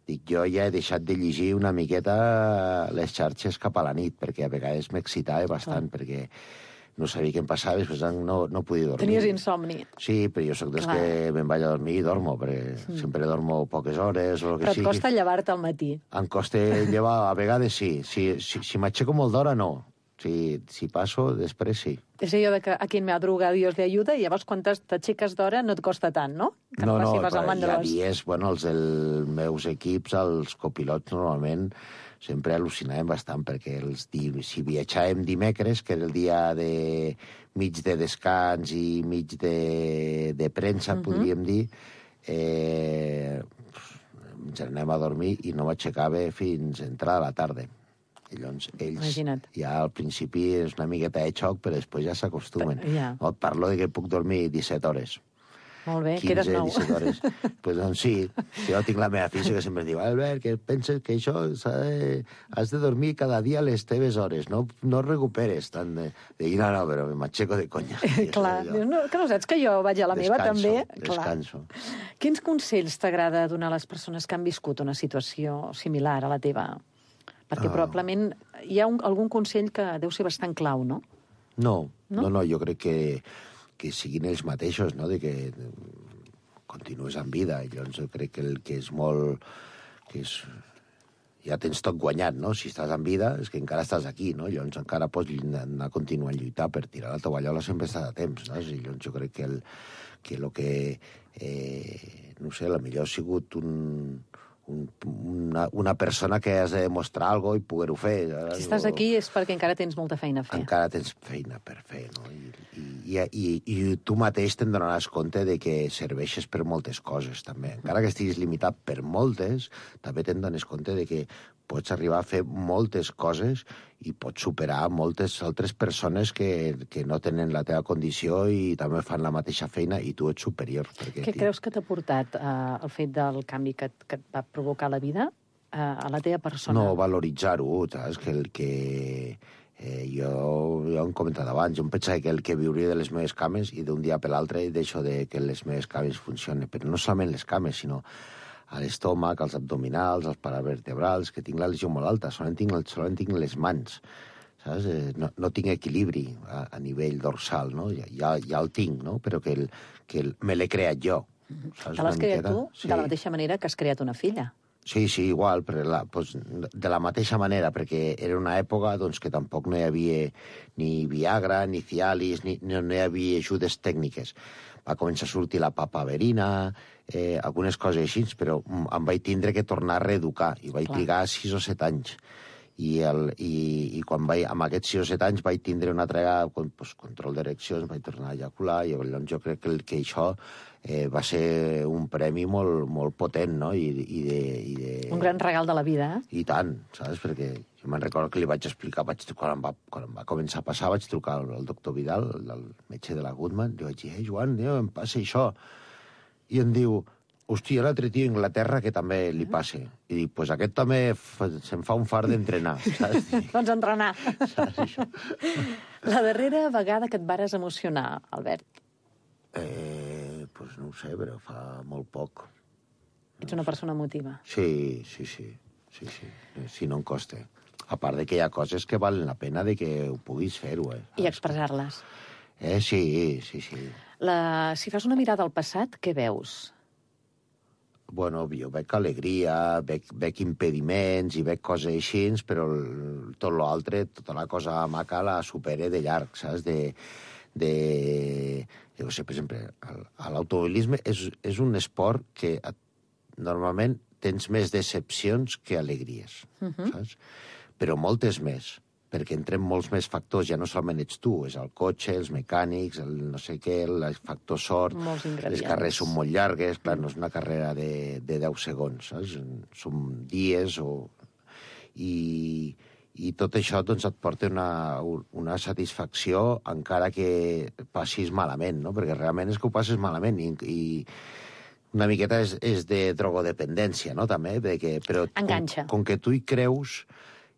Speaker 11: dic, jo ja he deixat de llegir una miqueta les xarxes cap a la nit, perquè a vegades m'excitava bastant, oh. perquè no sabia què em passava, després no, no podia dormir.
Speaker 8: Tenies insomni.
Speaker 11: Sí, però jo sóc dels Clar. que me'n vaig a dormir i dormo, perquè mm. sempre dormo poques hores o el que
Speaker 8: però et
Speaker 11: sigui.
Speaker 8: costa llevar-te al matí.
Speaker 11: Em costa llevar, a vegades sí. Si, si, si m'aixeco molt d'hora, no. Si, si passo, després sí.
Speaker 8: És allò de que a quien me madruga Dios le ayuda, i llavors quan t'aixeques d'hora no et costa tant, no? Que
Speaker 11: no, no,
Speaker 8: no
Speaker 11: però hi ha dies, bueno, els dels meus equips, els copilots, normalment, sempre al·lucinàvem bastant, perquè els di... si viatjàvem dimecres, que era el dia de mig de descans i mig de, de premsa, uh-huh. podríem dir, eh... ens anem a dormir i no m'aixecava fins a entrada a la tarda. I llavors ells
Speaker 8: Imagina't.
Speaker 11: ja al principi és una miqueta de xoc, però després ja s'acostumen.
Speaker 8: Ja.
Speaker 11: No, et parlo de que puc dormir disset hores.
Speaker 8: Molt bé,
Speaker 11: quinze,
Speaker 8: quedes nou.
Speaker 11: disset hores. Pues, doncs sí, jo tinc la meva filla que sempre diu, Albert, que penses que això de... has de dormir cada dia a les teves hores, no, no recuperes tant de... Dic, no, no, però m'aixeco de conya.
Speaker 8: Clar, dius, no, que no saps que jo vaig a la
Speaker 11: descanso,
Speaker 8: meva també?
Speaker 11: Descanso.
Speaker 8: Clar. Quins consells t'agrada donar a les persones que han viscut una situació similar a la teva? Perquè oh. probablement hi ha un, algun consell que deu ser bastant clau, no?
Speaker 11: No,
Speaker 8: no,
Speaker 11: no, no jo crec que que siguin ells mateixos, no?, de que continues amb vida. I llavors jo crec que el que és molt... que és... ja tens tot guanyat, no? Si estàs en vida és que encara estàs aquí, no? Llavors encara pots anar a continuar a lluitar per tirar la tovallola, sempre estàs a temps, no? I llavors jo crec que el que, lo que eh, no sé, la millor ha sigut un... Un, una, una persona que has de demostrar alguna cosa i poder-ho fer.
Speaker 8: Si estàs aquí és perquè encara tens molta feina a fer.
Speaker 11: Encara tens feina per fer, no? I, i, i, i tu mateix te'n donaràs compte de que serveixes per moltes coses, també. Encara que estiguis limitat per moltes, també te'n dones compte de que pots arribar a fer moltes coses i pots superar moltes altres persones que, que no tenen la teva condició i també fan la mateixa feina i tu ets superior.
Speaker 8: Què creus que t'ha portat uh, el fet del canvi que, que et va provocar la vida uh, a la teva persona?
Speaker 11: No, valoritzar-ho, saps? Que el que... Eh, jo, jo ho he comentat abans, jo em pensava que el que viuria de les meves cames i d'un dia per l'altre deixo de que les meves cames funcionen, però no solament les cames, sinó a l'estómac, als abdominals, als paravertebrals, que tinc la lesió molt alta, solament tinc, solament tinc les mans. saps? Eh, no, no tinc equilibri a, a nivell dorsal, no? Ja, ja, ja el tinc, no? Però que, el, que el, me l'he creat jo. Saps?
Speaker 6: Te l'has
Speaker 11: Una
Speaker 6: creat
Speaker 11: miqueta?
Speaker 6: tu
Speaker 11: Sí.
Speaker 6: de la mateixa manera que has creat una filla.
Speaker 11: Sí, sí, igual, però la, pues, de la mateixa manera, perquè era una època doncs, que tampoc no hi havia ni Viagra, ni Cialis, ni, no, no hi havia ajudes tècniques. Va començar a sortir la papaverina, eh, algunes coses així, però em vaig tindre que tornar a reeducar, i vaig
Speaker 6: Clar.
Speaker 11: trigar sis o set anys. I, el, i, i quan vaig, amb aquests sis o set anys vaig tindre una altra vegada pues, control d'ereccions, vaig tornar a ejacular, i llavors jo crec que, que això eh, va ser un premi molt, molt potent, no? I, i de, i de...
Speaker 6: Un gran regal de la vida, eh?
Speaker 11: I tant, saps? Perquè jo me'n recordo que li vaig explicar, vaig, quan, em va, quan em va començar a passar, vaig trucar al, al doctor Vidal, el, el metge de la Goodman, li vaig dir, eh, Joan, tio, em passa això. I em diu, hòstia, l'altre tio a Inglaterra que també li passa. I dic, pues aquest també fa, se'n fa un far d'entrenar, saps?
Speaker 6: Doncs entrenar.
Speaker 11: Saps això?
Speaker 6: La darrera vegada que et vares emocionar, Albert.
Speaker 11: Eh, pues no ho sé, però fa molt poc.
Speaker 6: Ets una persona emotiva.
Speaker 11: Sí, sí, sí, sí, sí, sí, no em costa. A part de que hi ha coses que valen la pena de que ho puguis fer-ho, eh?
Speaker 6: I expressar-les.
Speaker 11: Eh, sí, sí, sí.
Speaker 6: La... Si fas una mirada al passat, què veus?
Speaker 11: Bueno, jo veig alegria, veig, veig impediments i veig coses així, però el, tot l'altre, tota la cosa maca la supere de llarg, saps? De, de, jo sé, per exemple, l'automobilisme és, és un esport que et, normalment tens més decepcions que alegries,
Speaker 6: Uh-huh.
Speaker 11: saps? Però moltes més, perquè entren molts més factors, ja no solament ets tu, és el cotxe, els mecànics, el no sé què, el factor sort,
Speaker 6: Molts ingredients.
Speaker 11: les carreres són molt llargues, clar, no és una carrera de, de deu segons, saps? Són dies o... I, i tot això doncs, et porta una, una satisfacció encara que passis malament, no? Perquè realment és que ho passes malament i, i una miqueta és, és de drogodependència, no? També, de que, però
Speaker 6: Enganxa.
Speaker 11: Com, com que tu hi creus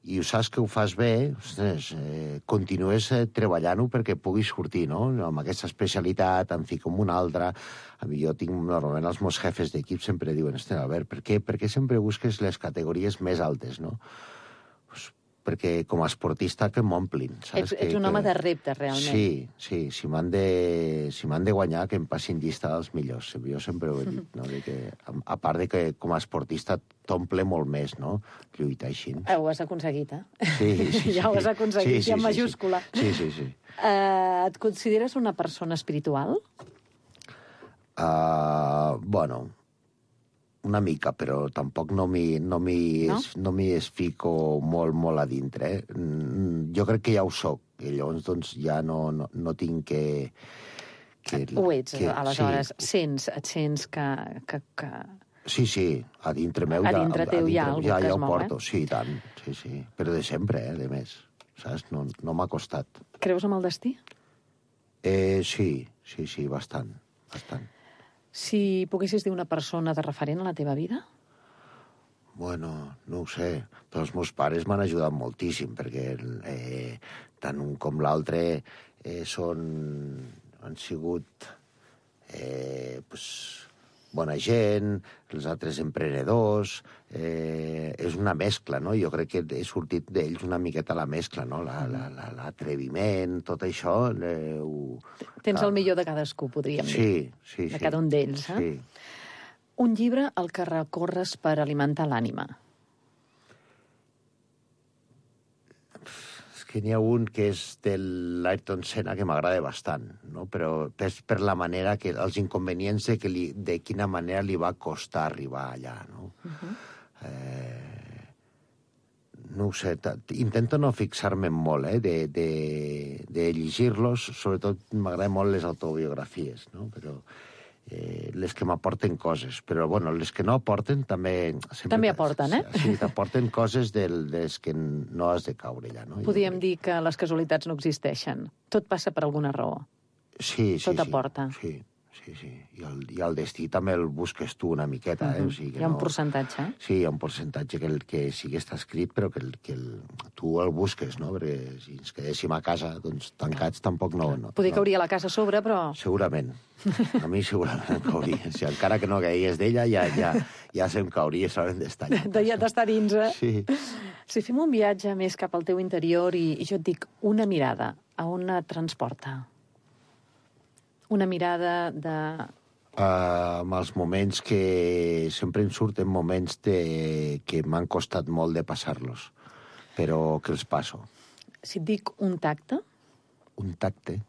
Speaker 11: i ho saps que ho fas bé, ostres, eh, continues eh, treballant-ho perquè puguis sortir, no? Amb aquesta especialitat, en fi, com una altra. A mi jo tinc, normalment, els meus jefes d'equip sempre diuen, ostres, Albert, per què, per què sempre busques les categories més altes, no? Pues, perquè com a esportista que m'omplin, saps?
Speaker 6: Ets, ets
Speaker 11: que,
Speaker 6: un
Speaker 11: que...
Speaker 6: home de repte, realment.
Speaker 11: Sí, sí, si m'han de, si m'han de guanyar, que em passin llista dels millors. Jo sempre ho he dit, no? De que, a, a part de que com a esportista t'omple molt més, no? Lluitar així.
Speaker 6: Eh, ho has aconseguit, eh?
Speaker 11: Sí, sí, sí.
Speaker 6: Ja ho has aconseguit,
Speaker 11: sí, sí,
Speaker 6: ja en
Speaker 11: sí,
Speaker 6: majúscula.
Speaker 11: Sí, sí, sí.
Speaker 6: Uh, et consideres una persona espiritual?
Speaker 11: Uh, bueno, una mica, però tampoc no m'hi no m'hi
Speaker 6: No?
Speaker 11: es, no m'hi es fico molt, molt a dintre. Eh? Mm, Jo crec que ja ho soc, i llavors doncs, ja no, no, no tinc que... que
Speaker 6: Ho ets,
Speaker 11: que,
Speaker 6: aleshores.
Speaker 11: Sí,
Speaker 6: Sents, et sents que... que, que...
Speaker 11: sí, sí, a dintre meu
Speaker 6: A
Speaker 11: ja...
Speaker 6: dintre teu hi ha algú
Speaker 11: ja,
Speaker 6: que
Speaker 11: ja
Speaker 6: es
Speaker 11: ho
Speaker 6: mou,
Speaker 11: porto,
Speaker 6: eh?
Speaker 11: sí, i tant, sí, sí. Però de sempre, eh, de més, saps? No, no m'ha costat.
Speaker 6: Creus en el destí?
Speaker 11: Eh, sí, sí, sí, bastant, bastant.
Speaker 6: Si poguessis dir una persona de referent a la teva vida?
Speaker 11: Bueno, no ho sé, però els meus pares m'han ajudat moltíssim, perquè eh, tant un com l'altre eh, són, han sigut eh, pues, bona gent, els altres emprenedors, eh, és una mescla, no? Jo crec que he sortit d'ells una miqueta la mescla, no? La, la, la, l'atreviment, tot això... Eh, ho,
Speaker 6: Tens
Speaker 11: ah,
Speaker 6: el millor de cadascú, podríem dir.
Speaker 11: Sí, sí,
Speaker 6: De
Speaker 11: sí.
Speaker 6: cada un d'ells, eh?
Speaker 11: Sí.
Speaker 6: Un llibre al que recorres per alimentar l'ànima.
Speaker 11: És que n'hi ha un que és de l'Ayrton Senna que m'agrada bastant, no? Però és per la manera que... els inconvenients de, que li, de quina manera li va costar arribar allà, no?
Speaker 6: Uh-huh.
Speaker 11: Eh, no ho sé, t- intento no fixar-me molt, eh, de, de, de llegir-los, sobretot m'agraden molt les autobiografies, no? Però eh, les que m'aporten coses, però bueno, les que no aporten també... Sempre,
Speaker 6: També aporten, eh?
Speaker 11: Sí, t'aporten coses del, des que no has de caure allà, no?
Speaker 6: Podríem dir que les casualitats no existeixen. Tot passa per alguna raó.
Speaker 11: Sí, sí,
Speaker 6: Tot
Speaker 11: sí.
Speaker 6: aporta.
Speaker 11: Sí, sí, sí. I el, I el destí també el busques tu una miqueta, eh? O sigui, que
Speaker 6: Hi ha un
Speaker 11: no...
Speaker 6: percentatge.
Speaker 11: Sí, hi ha un percentatge que, el, que sí que està escrit, però que, el, que el, tu el busques, no? Perquè si ens quedéssim a casa doncs, tancats tampoc no... no
Speaker 6: Poder
Speaker 11: no.
Speaker 6: que hauria la casa a sobre, però...
Speaker 11: Segurament. A mi segurament em cauria. Si encara que no caigués d'ella, ja, ja, ja se'm cauria, s'hauran d'estar allà.
Speaker 6: De- ja d'estar dins, eh?
Speaker 11: Sí.
Speaker 6: Si fem un viatge més cap al teu interior i, i jo et dic una mirada, a on et transporta? Una mirada de...
Speaker 11: Uh, amb els moments que... Sempre em surten moments de... que m'han costat molt de passar-los, però que els passo.
Speaker 6: Si et dic un tacte?
Speaker 11: Un tacte?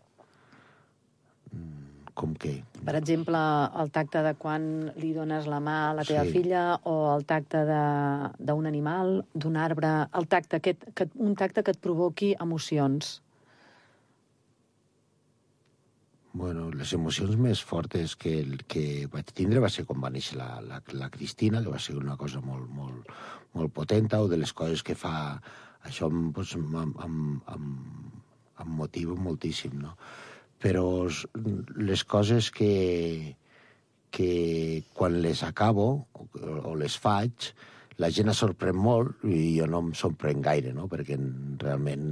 Speaker 11: Com què?
Speaker 6: Per exemple, el tacte de quan li dones la mà a la teva
Speaker 11: Sí.
Speaker 6: filla o el tacte de- d'un animal, d'un arbre, el tacte, aquest, que, un tacte que et provoqui emocions.
Speaker 11: Bueno, les emocions més fortes que, que vaig tindre va ser quan va néixer la, la, la Cristina, que va ser una cosa molt, molt, molt potenta, o de les coses que fa... Això em, doncs, em, em, em, em motiva moltíssim, no? Però les coses que, que quan les acabo o, o les faig, la gent es sorprèn molt i jo no em sorprèn gaire, no? Perquè realment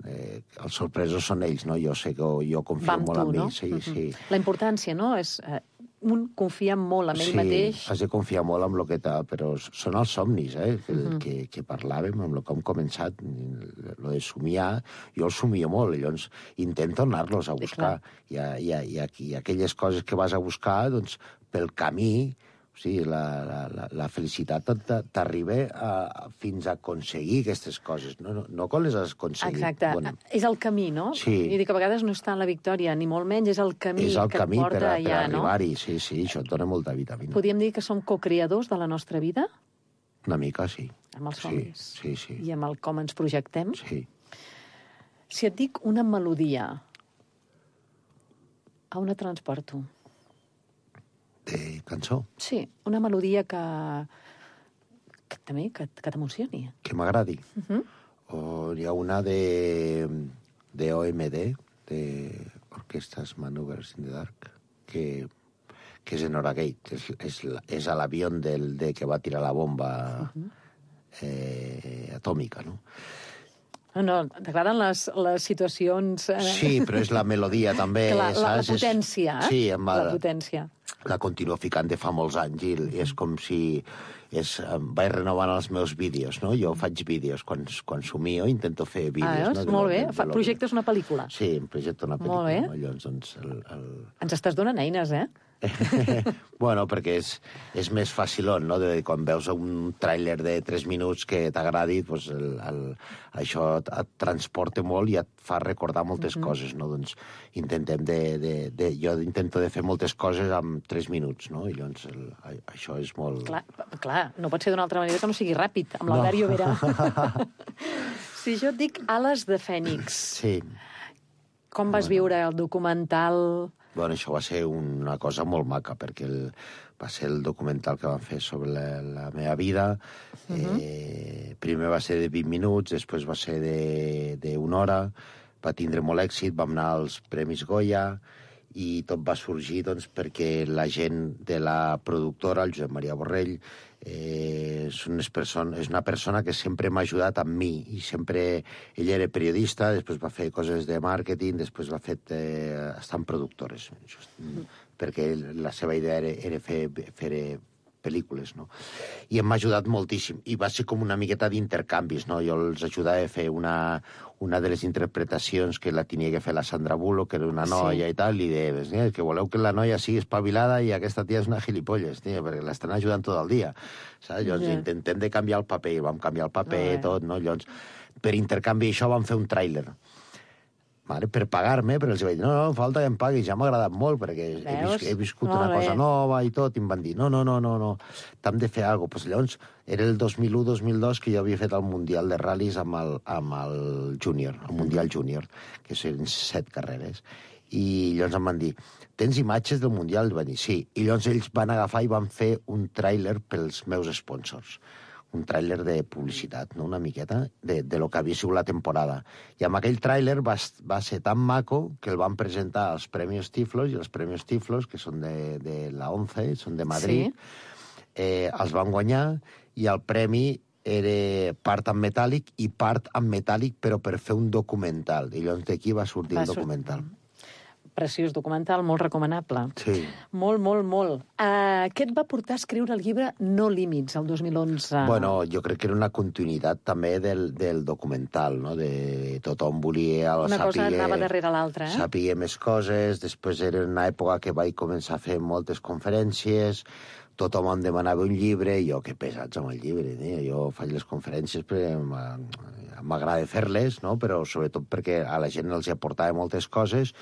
Speaker 11: eh, els sorpresos són ells, no? Jo sé que jo confio
Speaker 6: Va amb
Speaker 11: molt
Speaker 6: tu,
Speaker 11: en
Speaker 6: no?
Speaker 11: ells. Sí,
Speaker 6: Mhm.
Speaker 11: sí.
Speaker 6: La importància, no? És, eh, un confia molt en ell
Speaker 11: sí,
Speaker 6: mateix.
Speaker 11: has de confiar molt en el que t'ha... Però són els somnis, eh? Que,
Speaker 6: Mhm.
Speaker 11: que, que parlàvem, amb el que hem començat, lo de somiar, jo el somio molt, llavors intento anar-los a buscar. I, a, i, a, i, a, I aquelles coses que vas a buscar, doncs, pel camí, o sigui, la, la, la, la felicitat t'arriba a, fins a aconseguir aquestes coses, no, no, no quan les has aconseguit.
Speaker 6: Exacte.
Speaker 11: Bueno,
Speaker 6: És el camí, no?
Speaker 11: Sí.
Speaker 6: I dic que a vegades no està en la victòria, ni molt menys, és el camí
Speaker 11: és el
Speaker 6: que
Speaker 11: camí
Speaker 6: et porta
Speaker 11: per, a, per
Speaker 6: allà, no?
Speaker 11: arribar-hi, sí, sí, això et dona molta vitamina.
Speaker 6: Podríem dir que som co-creadors de la nostra vida?
Speaker 11: Una mica, sí.
Speaker 6: Amb els
Speaker 11: Sí,
Speaker 6: somnis.
Speaker 11: sí, sí.
Speaker 6: I amb el com ens projectem?
Speaker 11: Sí.
Speaker 6: Si et dic una melodia, a on et transporto?
Speaker 11: De cançó.
Speaker 6: Sí, una melodia que, que també que, que t'emocioni.
Speaker 11: Que m'agradi.
Speaker 6: Uh -huh.
Speaker 11: O hi ha una de, de O M D, de Orquestas Maneuvers in the Dark, que, que és en Oragate, és, és, la- és a l'avió del de que va tirar la bomba
Speaker 6: Uh -huh.
Speaker 11: eh, atòmica, no?
Speaker 6: No, no, t'agraden les, les situacions... Eh...
Speaker 11: Sí, però és la melodia també,
Speaker 6: Clar, la, la
Speaker 11: saps? És-
Speaker 6: potència, eh?
Speaker 11: Sí, amb
Speaker 6: la
Speaker 11: el-
Speaker 6: potència.
Speaker 11: la continuo ficant de fa molts anys i, i és com si és, em vaig renovant els meus vídeos, no? Jo faig vídeos quan, quan somio, intento fer vídeos.
Speaker 6: Ah, veus?
Speaker 11: no? De
Speaker 6: Molt
Speaker 11: lo-
Speaker 6: bé.
Speaker 11: de- de
Speaker 6: Fa,
Speaker 11: lo-
Speaker 6: projectes una pel·lícula.
Speaker 11: Sí, em projecto una
Speaker 6: Molt
Speaker 11: pel·lícula.
Speaker 6: bé.
Speaker 11: No? Llavors, doncs, el, el...
Speaker 6: Ens estàs donant eines, eh?
Speaker 11: bueno, perquè és, és més facilón, no? De, quan veus un tràiler de tres minuts que t'agradi, doncs el, el, això et, et transporta molt i et fa recordar moltes
Speaker 6: Mhm.
Speaker 11: coses, no? Doncs intentem de, de, de... Jo intento de fer moltes coses en tres minuts, no? I llavors el, això és molt...
Speaker 6: Clar, clar, no pot ser d'una altra manera que no sigui ràpid, amb
Speaker 11: No.
Speaker 6: l'Albert Llobera. Si jo et dic Ales de Fènix,
Speaker 11: Sí.
Speaker 6: com vas viure el documental?
Speaker 11: Bueno, això va ser una cosa molt maca, perquè el, va ser el documental que van fer sobre la, la meva vida. Uh -huh. eh, primer va ser de vint minuts, després va ser de, de una hora, va tindre molt èxit, vam anar als Premis Goya, i tot va sorgir doncs, perquè la gent de la productora, el Josep Maria Borrell, eh, és, unes person és una persona que sempre m'ha ajudat amb mi, i sempre... Ell era periodista, després va fer coses de màrqueting, després va fer eh, estar en productores, just, mm. perquè la seva idea era, era fer, fer pel·lícules, no? I em va ajudat moltíssim, i va ser com una miqueta d'intercanvis, no? Jo els ajudava a fer una, una de les interpretacions que la tenia que fer la Sandra Bullock, que era una noia
Speaker 6: Sí.
Speaker 11: i tal, i deies, eh, que voleu que la noia sigui espavilada i aquesta tia és una gilipolles, tia, perquè l'estan ajudant tot el dia, saps? Llavors
Speaker 6: Ja.
Speaker 11: intentem de canviar el paper, i vam canviar el paper,
Speaker 6: Ah,
Speaker 11: tot, no? Llavors, per intercanvi això vam fer un tràiler, vale, per pagar-me, però els vaig dir, no, no, falta que em paguis, ja m'ha agradat molt, perquè he,
Speaker 6: Veus?
Speaker 11: vis he viscut
Speaker 6: Molt
Speaker 11: una
Speaker 6: bé.
Speaker 11: cosa nova i tot, i em van dir, no, no, no, no, no, t'hem de fer alguna cosa. Pues llavors, era el dos mil u dos mil dos que jo havia fet el Mundial de Ral·lis amb el, amb el Júnior, el Mundial Júnior, que són set carreres. I llavors em van dir, tens imatges del Mundial? I van dir, sí. I llavors ells van agafar i van fer un tràiler pels meus sponsors. Un tràiler de publicitat, no? Una miqueta, de, de lo que havia sigut la temporada. I amb aquell tràiler va, va ser tan maco que el van presentar als Premis Tiflos, i els Premis Tiflos, que són de, de la ONCE, són de Madrid,
Speaker 6: Sí.
Speaker 11: eh, els van guanyar, i el premi era part en metàl·lic i part en metàl·lic, però per fer un documental. I llavors d'aquí va sortir
Speaker 6: Va
Speaker 11: el
Speaker 6: sortir.
Speaker 11: documental.
Speaker 8: preciós documental, molt recomanable.
Speaker 11: Sí.
Speaker 8: Molt, molt, molt. Uh, què et va portar a escriure el llibre No límits, el dos mil onze?
Speaker 11: Bueno, jo crec que era una continuïtat també del, del documental, no? De tothom volia
Speaker 8: Una
Speaker 11: saber,
Speaker 8: cosa anava darrere l'altra, eh?
Speaker 11: Sabia més coses, després era una època que vaig començar a fer moltes conferències, tothom em demanava un llibre, i jo, que pesats amb el llibre, eh? Jo faig les conferències perquè m'agrada fer-les, no? Però sobretot perquè a la gent els aportava moltes coses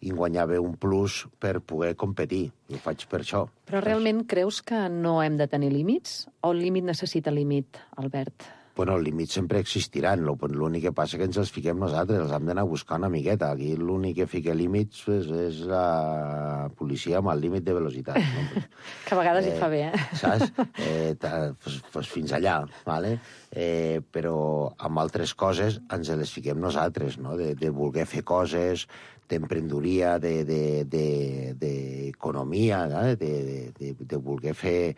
Speaker 11: i guanyava un plus per poder competir. I ho faig per això.
Speaker 8: Però realment creus que no hem de tenir límits? O el límit necessita límit, Albert?
Speaker 11: Bueno, els límits sempre existiran. L'únic que passa que ens els fiquem nosaltres, els hem d'anar a buscar una miqueta. Aquí l'únic que fica límits és, és la policia amb el límit de velocitat. No?
Speaker 8: Que a vegades
Speaker 11: eh,
Speaker 8: hi fa bé, eh?
Speaker 11: Saps? Eh, pues, pues fins allà, vale? Eh, però amb altres coses ens les fiquem nosaltres, no? De, de voler fer coses, d'emprenedoria, d'economia, de, de, de, de, de, de, de voler fer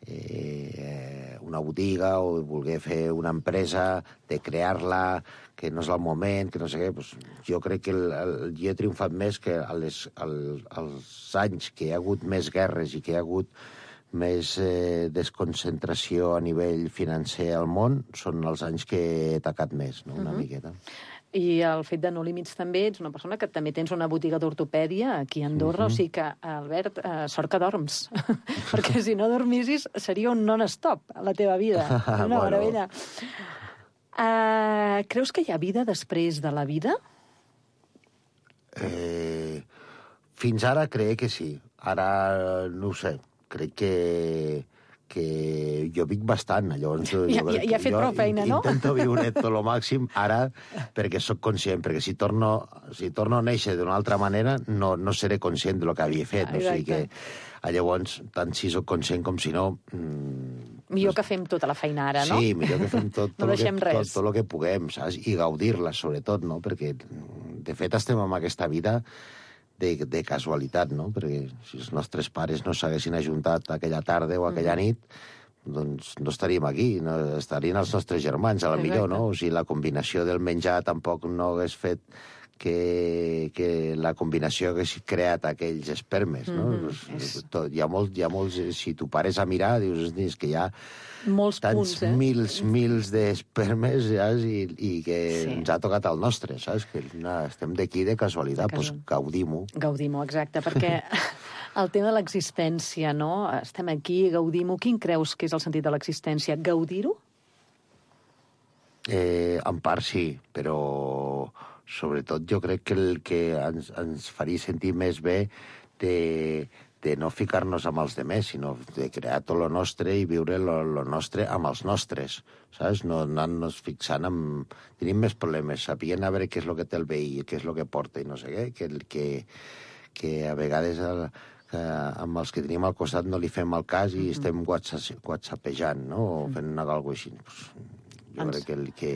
Speaker 11: eh, una botiga o de voler fer una empresa, de crear-la, que no és el moment, que no sé què. Pues, jo crec que el, el, jo he triomfat més que a les, al, als anys que hi ha hagut més guerres i que hi ha hagut més eh, desconcentració a nivell financer al món, són els anys que he tacat més, no? Una uh-huh. miqueta.
Speaker 8: I el fet de No límits també, ets una persona que també tens una botiga d'ortopèdia aquí a Andorra, uh-huh. o sigui que, Albert, eh, sort que dorms, perquè si no dormissis seria un non-stop a la teva vida. Una bueno. meravella. Uh, creus que hi ha vida després de la vida?
Speaker 11: Eh, fins ara crec que sí. Ara no ho sé. Crec que... que jo vic bastant, llavors...
Speaker 8: Ja, ja, ja ha fet prou feina, no?
Speaker 11: Intento viure tot el màxim ara perquè sóc conscient, perquè si torno, si torno a néixer d'una altra manera no, no seré conscient del que havia fet. Ah, o sigui que, llavors, tant si sóc conscient com si no... Mmm,
Speaker 8: millor que fem tota la feina ara, no?
Speaker 11: Sí, millor que fem tot, tot,
Speaker 8: no
Speaker 11: el, que,
Speaker 8: res.
Speaker 11: tot, tot el que puguem, saps? I gaudir-la, sobretot, no? Perquè, de fet, estem en aquesta vida de, de casualitat, no? Perquè si els nostres pares no s'haguessin ajuntat aquella tarda o aquella nit, doncs no estaríem aquí, no estarien els nostres germans, a la millor, no? O sigui, la combinació del menjar tampoc no hagués fet que, que la combinació hagués creat aquells espermes, no? Mm-hmm. És... Tot, hi ha molts, hi ha molts... Si tu pares a mirar, dius, és que hi ha
Speaker 8: molts
Speaker 11: tants
Speaker 8: punts, eh?
Speaker 11: mils, mils d'espermes, saps? I, i que
Speaker 8: sí.
Speaker 11: ens ha tocat el nostre, saps? Que no, estem d'aquí de casualitat, doncs pues, gaudim-ho.
Speaker 8: Gaudim-ho, exacte, perquè el tema de l'existència, no? Estem aquí, gaudim-ho. Quin creus que és el sentit de l'existència? Gaudir-ho?
Speaker 11: Eh, en part sí, però sobretot jo crec que el que ens, ens faria sentir més bé de, de no ficar-nos amb els demés, sinó de crear tot lo nostre i viure lo, lo nostre amb els nostres, saps? No anar-nos fixant en... Tenim més problemes, sapient a veure què és el que té el veí, què és el que porta i no sé què, que, que, que a vegades el, que amb els que tenim al costat no li fem el cas i estem whatsappejant, no? O fent una cosa així. Pues, jo Ens... crec que el que,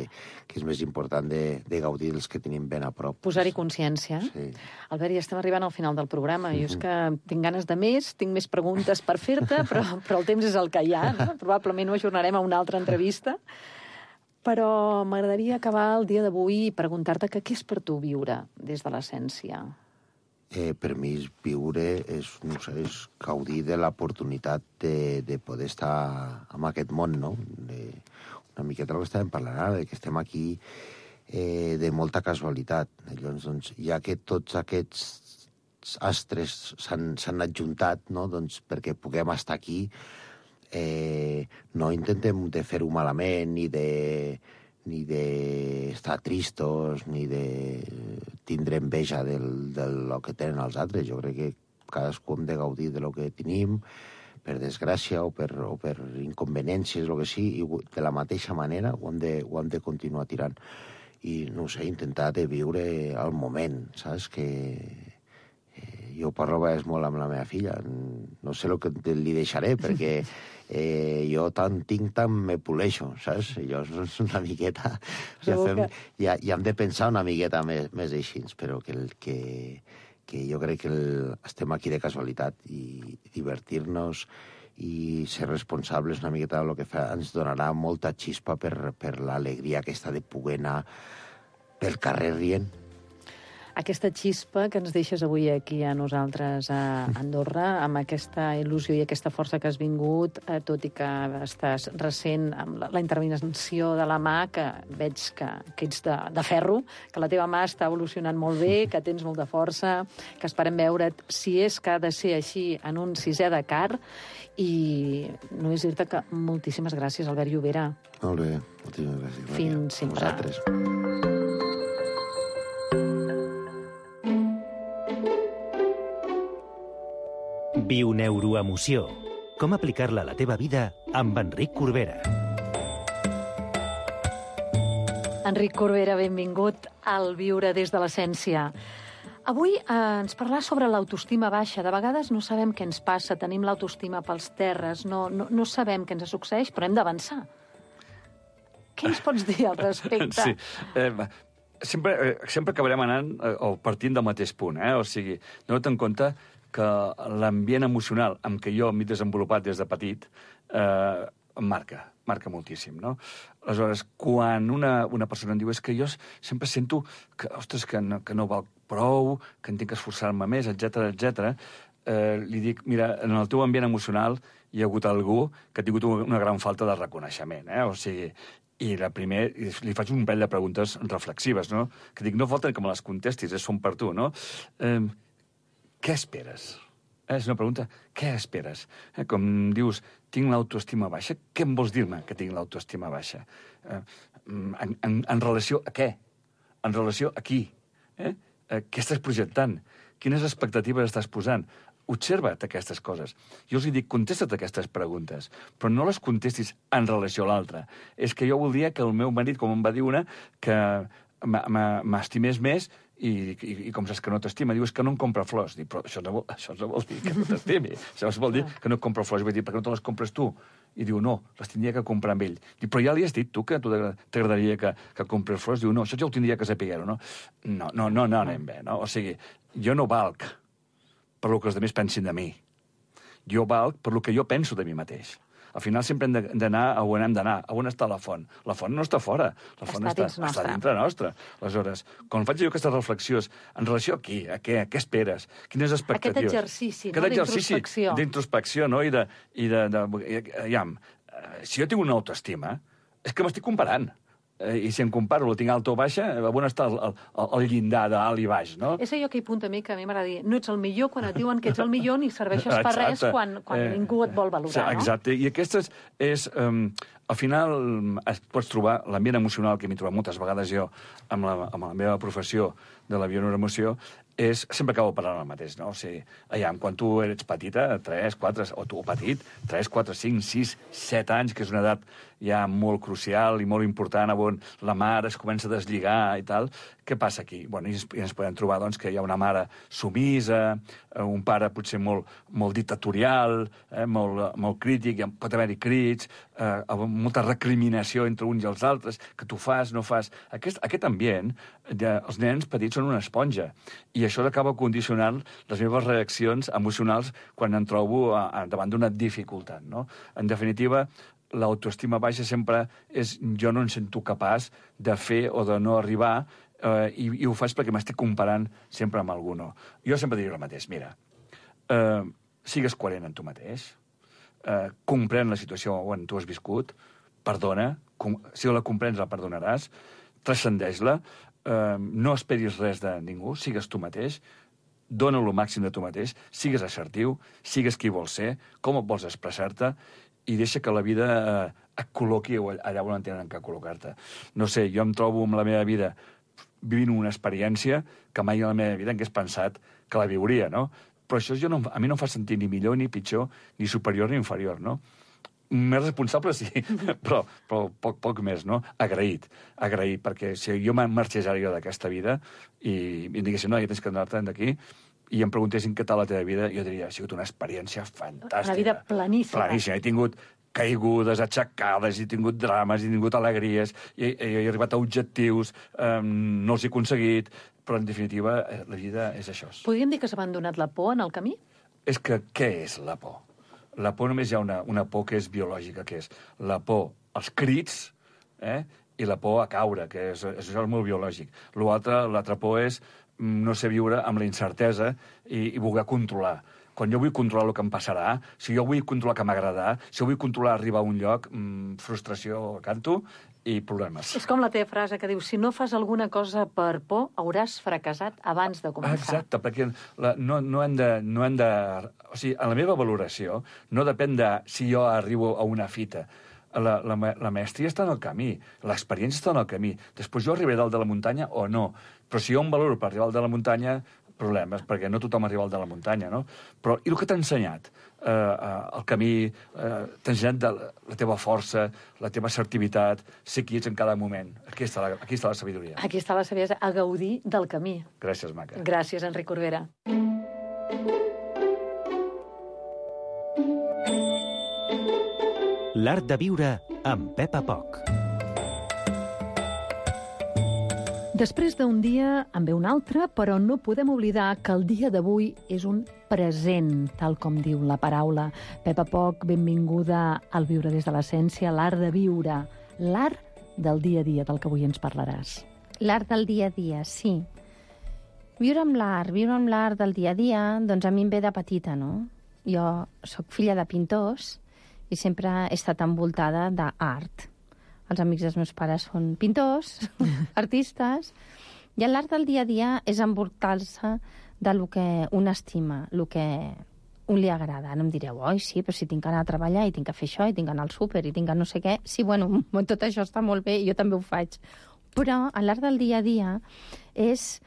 Speaker 11: que és més important de, de gaudir dels que tenim ben a prop.
Speaker 8: Posar-hi consciència.
Speaker 11: Sí.
Speaker 8: Albert, ja estem arribant al final del programa. Uh-huh. Jo és que tinc ganes de més, tinc més preguntes per fer-te, però, però el temps és el que hi ha. No? Probablement ho ajornarem a una altra entrevista. Però m'agradaria acabar el dia d'avui i preguntar-te que què és per tu viure des de l'essència?
Speaker 11: Eh, per mi viure és, no sé, és gaudir de l'oportunitat de, de poder estar en aquest món, no? De, una miqueta el que estàvem parlant ara, que estem aquí eh, de molta casualitat. Llavors, doncs, ja que tots aquests astres s'han adjuntat, no? Doncs, perquè puguem estar aquí, eh, no intentem de fer-ho malament, ni de ni d'estar tristos, ni de tindre enveja del, del que tenen els altres. Jo crec que cadascú hem de gaudir de lo que tenim, per desgràcia o per, o per inconveniències, el que sigui, i de la mateixa manera ho hem de, ho hem de continuar tirant. I, no sé, intentar de viure el moment, saps? Que eh, jo parlo a vegades molt amb la meva filla. No sé el que li deixaré, perquè eh, jo tant tinc, tant me poleixo, saps? Jo és una miqueta... Ja, fem, ja, ja hem de pensar una miqueta més, més així, però que el que... que jo crec que el, estem aquí de casualitat i divertir-nos i ser responsables una miqueta del que fa ens donarà molta xispa per, per l'alegria aquesta de poder anar pel carrer rient.
Speaker 8: aquesta xispa que ens deixes avui aquí a nosaltres a Andorra, amb aquesta il·lusió i aquesta força que has vingut, eh, tot i que estàs recent amb la, la intervenció de la mà, que veig que, que ets de, de ferro, que la teva mà està evolucionant molt bé, que tens molta força, que esperem veure't, si és que ha de ser així, en un sisè de car, i només dir-te que moltíssimes gràcies, Albert Llobera.
Speaker 11: Molt bé, moltíssimes gràcies.
Speaker 8: Fins sempre.
Speaker 11: Vosaltres.
Speaker 7: Viu neuroemoció. Com aplicar-la a la teva vida amb Enric Corbera.
Speaker 8: Enric Corbera, benvingut al Viure des de l'Essència. Avui eh, ens parlar sobre l'autoestima baixa. De vegades no sabem què ens passa, tenim l'autoestima pels terres, no, no, no sabem què ens succeeix, però hem d'avançar. Què ens pots dir al respecte?
Speaker 12: Sí, eh, sempre, eh, sempre acabarem anant eh, o partint del mateix punt, eh? O sigui, dona't en compte que l'ambient emocional amb què jo m'he desenvolupat des de petit eh, em marca, marca moltíssim, no? Aleshores, quan una, una persona em diu és que jo sempre sento que, ostres, que no, que no val prou, que en tinc que esforçar-me més, etcètera, etcètera, eh, li dic, mira, en el teu ambient emocional hi ha hagut algú que ha tingut una gran falta de reconeixement, eh? O sigui, i la primer, li faig un parell de preguntes reflexives, no? Que dic, no falta que me les contestis, són per tu, no? Eh, què esperes? Eh, és una pregunta, què esperes? Eh, com dius, tinc l'autoestima baixa, què em vols dir-me que tinc l'autoestima baixa? Eh, en, en, en relació a què? En relació a qui? Eh? Eh, què estàs projectant? Quines expectatives estàs posant? Observa't aquestes coses. Jo els dic, contesta't aquestes preguntes, però no les contestis en relació a l'altra. És que jo voldria que el meu marit, com em va dir una, que m'estimés més i, i, i com saps que no t'estima, diu, és que no em compra flors. Dic, però això no vol, això no vol dir que no t'estimi. Això vol dir que no et compra flors. Vull dir, per què no te les compres tu? I diu, no, les tindria que comprar amb ell. Dic, però ja li has dit tu que a tu t'agradaria que, que compres flors? Diu, no, això ja ho tindria que saber, no? No, no, no, no anem bé, no? O sigui, jo no valc per lo que els altres pensin de mi. Jo valc per lo que jo penso de mi mateix. Al final sempre hem d'anar a on hem d'anar. A on està la font? La font no està fora. La font està, està, està dintre nostra. Aleshores, quan faig jo aquestes reflexions, en relació a qui? A què? A què esperes? Quines expectatives?
Speaker 8: Aquest exercici,
Speaker 12: Aquest
Speaker 8: no? D'introspecció.
Speaker 12: D'introspecció, no? I de... I de, de, de aviam, si jo tinc una autoestima, és que m'estic comparant. I si em comparo, la tinc alta o baixa, on està el, el, el llindar d'alt i baix, no?
Speaker 8: És allò que hi punta a mi, que a mi m'agrada dir, no ets el millor quan et diuen que ets el millor ni serveixes per res quan, quan eh, ningú et vol valorar, no?
Speaker 12: Exacte, i aquestes és... Um, al final es pots trobar l'ambient emocional que m'he trobat moltes vegades jo amb la, amb la meva professió de la bioneuroemoció, és, sempre acabo parlant el mateix, no? O sigui, allà, quan tu ets petita, tres, quatre, o tu petit, tres, quatre, cinc, sis, set anys, que és una edat ja molt crucial i molt important, on la mare es comença a deslligar i tal, què passa aquí? Bueno, i ens, i ens podem trobar, doncs, que hi ha una mare sumisa, un pare potser molt, molt dictatorial, eh, molt, molt crític, pot haver-hi crits, eh, molta recriminació entre uns i els altres, que tu fas, no fas... Aquest, aquest ambient, ja, els nens petits són una esponja, i això acaba condicionant les meves reaccions emocionals quan em trobo a, a, davant d'una dificultat, no? En definitiva, l'autoestima baixa sempre és jo no em sento capaç de fer o de no arribar, eh, i, i ho faig perquè m'estic comparant sempre amb algú, no? Jo sempre diria el mateix, mira, eh, sigues coherent en tu mateix, eh, comprèn la situació on tu has viscut, perdona, com, si la comprens la perdonaràs, transcendeix-la, Uh, no esperis res de ningú, sigues tu mateix, dona el màxim de tu mateix, sigues assertiu, sigues qui vols ser, com et vols expressar-te, i deixa que la vida uh, et col·loqui allà on tenen que col·locar-te. No sé, jo em trobo amb la meva vida vivint una experiència que mai a la meva vida hagués pensat que la viuria, no? Però això jo no, a mi no em fa sentir ni millor, ni pitjor, ni superior ni inferior, no? Més responsable, sí, però, però poc, poc més, no? Agraït, agraït, perquè si jo marxés ara jo d'aquesta vida i, i em diguessin, no, ja tens que anar-te'n d'aquí, i em preguntessin què tal la teva vida, jo diria, ha sigut una experiència fantàstica.
Speaker 8: Una vida planíssima.
Speaker 12: Planíssima. He tingut caigudes, aixecades, he tingut drames, he tingut alegries, he, he, he arribat a objectius, um, no els he aconseguit, però en definitiva la vida és això.
Speaker 8: Podríem dir que s'ha abandonat la por en el camí?
Speaker 12: És que què és la por? La por només hi ha una, una por que és biològica, que és la por als crits, eh? i la por a caure, que és, és, això és molt biològic. L'altre, l'altra por és no sé viure amb la incertesa i, i voler controlar. Quan jo vull controlar el que em passarà, si jo vull controlar que m'agradarà, si jo vull controlar arribar a un lloc, mmm, frustració canto i problemes.
Speaker 8: És com la teva frase que diu, si no fas alguna cosa per por, hauràs fracassat abans de començar.
Speaker 12: Exacte, perquè la, no, no, hem de, no hem de... O sigui, en la meva valoració no depèn de si jo arribo a una fita. La, la, la maestria està en el camí, l'experiència està en el camí. Després jo arribaré dalt de la muntanya o no. Però si jo em valoro per arribar dalt de la muntanya, problemes, perquè no tothom arriba al de la muntanya, no? Però i el que t'ha ensenyat? Eh, eh, el camí, eh, t'ha ensenyat de la, la teva força, la teva assertivitat, ser qui ets en cada moment. Aquí està la, aquí està la sabidoria.
Speaker 8: Aquí està la saviesa, a gaudir del camí.
Speaker 12: Gràcies, maca.
Speaker 8: Gràcies, Enric Corbera.
Speaker 7: L'art de viure amb Pepa Poch.
Speaker 8: Després d'un dia en ve un altre, però no podem oblidar que el dia d'avui és un present, tal com diu la paraula. Pepa Poch, benvinguda al Viure des de l'Essència, l'art de viure, l'art del dia a dia, del que avui ens parlaràs.
Speaker 13: L'art del dia a dia, sí. Viure amb l'art, viure amb l'art del dia a dia, doncs a mi em ve de petita, no? Jo sóc filla de pintors i sempre he estat envoltada d'art. Els amics dels meus pares són pintors, artistes, i l'art del dia a dia és envoltar-se del que un estima, el que un li agrada. No em direu, oi, sí, però si tinc que anar a treballar i tinc que fer això, i tinc que anar al súper, i tinc que no sé què... Sí, bueno, tot això està molt bé, i jo també ho faig. Però l'art del dia a dia és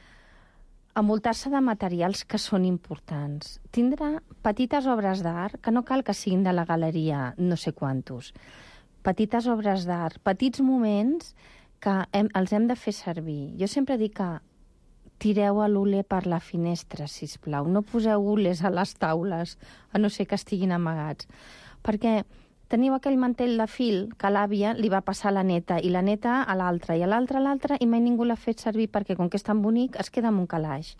Speaker 13: envoltar-se de materials que són importants. Tindrà petites obres d'art, que no cal que siguin de la galeria no sé quantos, petites obres d'art, petits moments que hem, els hem de fer servir. Jo sempre dic que tireu a l'ule per la finestra, sisplau. No poseu ules a les taules, a no ser que estiguin amagats. Perquè teniu aquell mantell de fil que l'àvia li va passar a la neta, i la neta a l'altra, i a l'altra a l'altra, i mai ningú l'ha fet servir perquè, com que és tan bonic, es queda amb un calaix.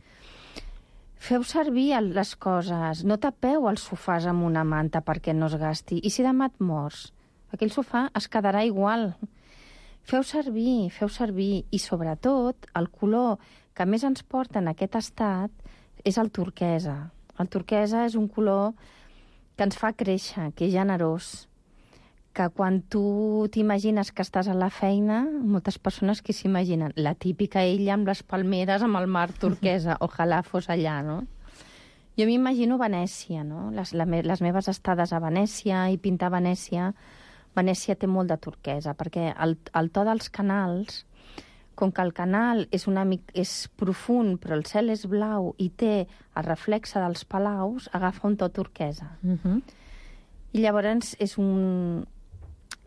Speaker 13: Feu servir les coses. No tapeu els sofàs amb una manta perquè no es gasti. I si demà et mors, aquell sofà es quedarà igual. Feu servir, feu servir. I sobretot, el color que més ens porta en aquest estat és el turquesa. El turquesa és un color que ens fa créixer, que és generós, que quan tu t'imagines que estàs a la feina, moltes persones que s'imaginen la típica ella amb les palmeres, amb el mar turquesa, ojalà fos allà, no? Jo m'imagino Venècia, no? Les, la, les meves estades a Venècia i pintar a Venècia, Venècia té molt de turquesa, perquè el, el to dels canals, com que el canal és, una, és profund, però el cel és blau i té el reflexe dels palaus, agafa un to turquesa.
Speaker 8: Uh-huh.
Speaker 13: I llavors és un,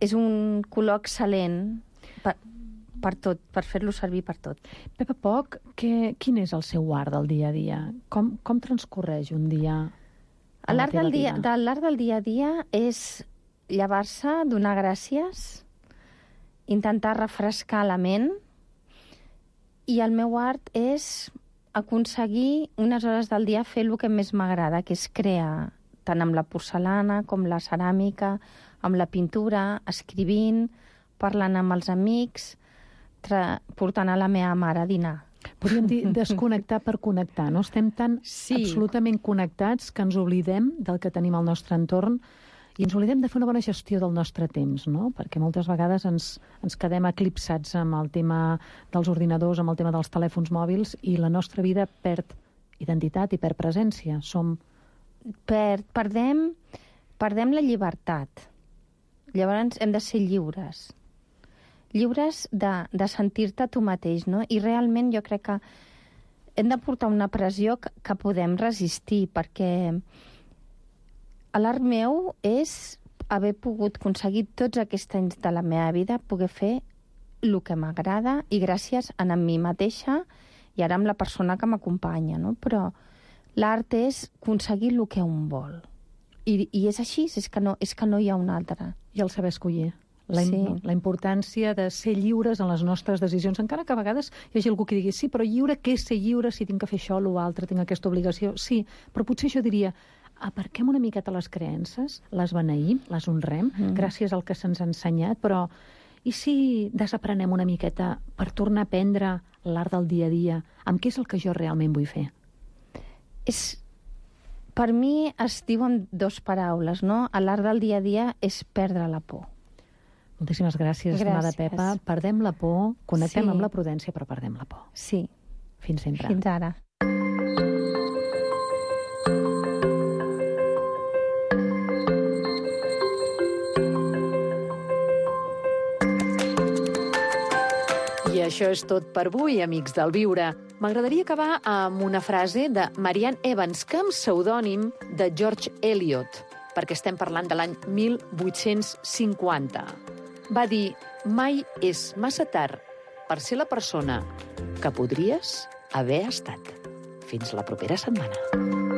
Speaker 13: és un color excel·lent per, per tot, per fer-lo servir per tot.
Speaker 8: Pepa Poch, que, quin és el seu art del dia a dia? Com, com transcorreix un dia a la
Speaker 13: l'art
Speaker 8: teva
Speaker 13: del dia,
Speaker 8: vida?
Speaker 13: de l'art del dia a dia és llevar-se, donar gràcies, intentar refrescar la ment, i el meu art és aconseguir unes hores del dia fer el que més m'agrada, que és crear, tant amb la porcelana com la ceràmica, amb la pintura, escrivint, parlant amb els amics, portant a la meva mare a dinar.
Speaker 8: Podríem dir desconnectar per connectar, no? Estem tan sí. absolutament connectats que ens oblidem del que tenim al nostre entorn i ens oblidem de fer una bona gestió del nostre temps, no? Perquè moltes vegades ens, ens quedem eclipsats amb el tema dels ordinadors, amb el tema dels telèfons mòbils, i la nostra vida perd identitat i perd presència. Som...
Speaker 13: Per, perdem, perdem la llibertat. Llavors hem de ser lliures. Lliures de, de sentir-te tu mateix, no? I realment jo crec que hem de portar una pressió que, que podem resistir, perquè l'art meu és haver pogut aconseguir tots aquests anys de la meva vida, poder fer el que m'agrada, i gràcies a mi mateixa i ara amb la persona que m'acompanya, no? Però l'art és aconseguir el que un vol. I, i és així, és que, no, és que no hi ha un altre.
Speaker 8: I el saber escollir. La, sí. la importància de ser lliures en les nostres decisions, encara que a vegades hi hagi algú que digui sí, però lliure, què és ser lliure si tinc que fer això o l'altre, tinc aquesta obligació? Sí, però potser jo diria, aparquem una miqueta les creences, les beneïm, les honrem, mm. gràcies al que se'ns ha ensenyat, però I si desaprenem una miqueta per tornar a aprendre l'art del dia a dia, amb què és el que jo realment vull fer?
Speaker 13: És, per mi es diuen dos paraules, no? L'art del dia a dia és perdre la por.
Speaker 8: Moltíssimes gràcies, estimada Pepa. Perdem la por, connectem sí. amb la prudència, però perdem la por.
Speaker 13: Sí.
Speaker 8: Fins sempre.
Speaker 13: Fins ara.
Speaker 6: I això és tot per avui, amics del Viure. M'agradaria acabar amb una frase de Marianne Evans, que amb pseudònim de George Eliot, perquè estem parlant de l'any mil vuit-cents cinquanta. Va dir, mai és massa tard per ser la persona que podries haver estat. Fins la propera setmana.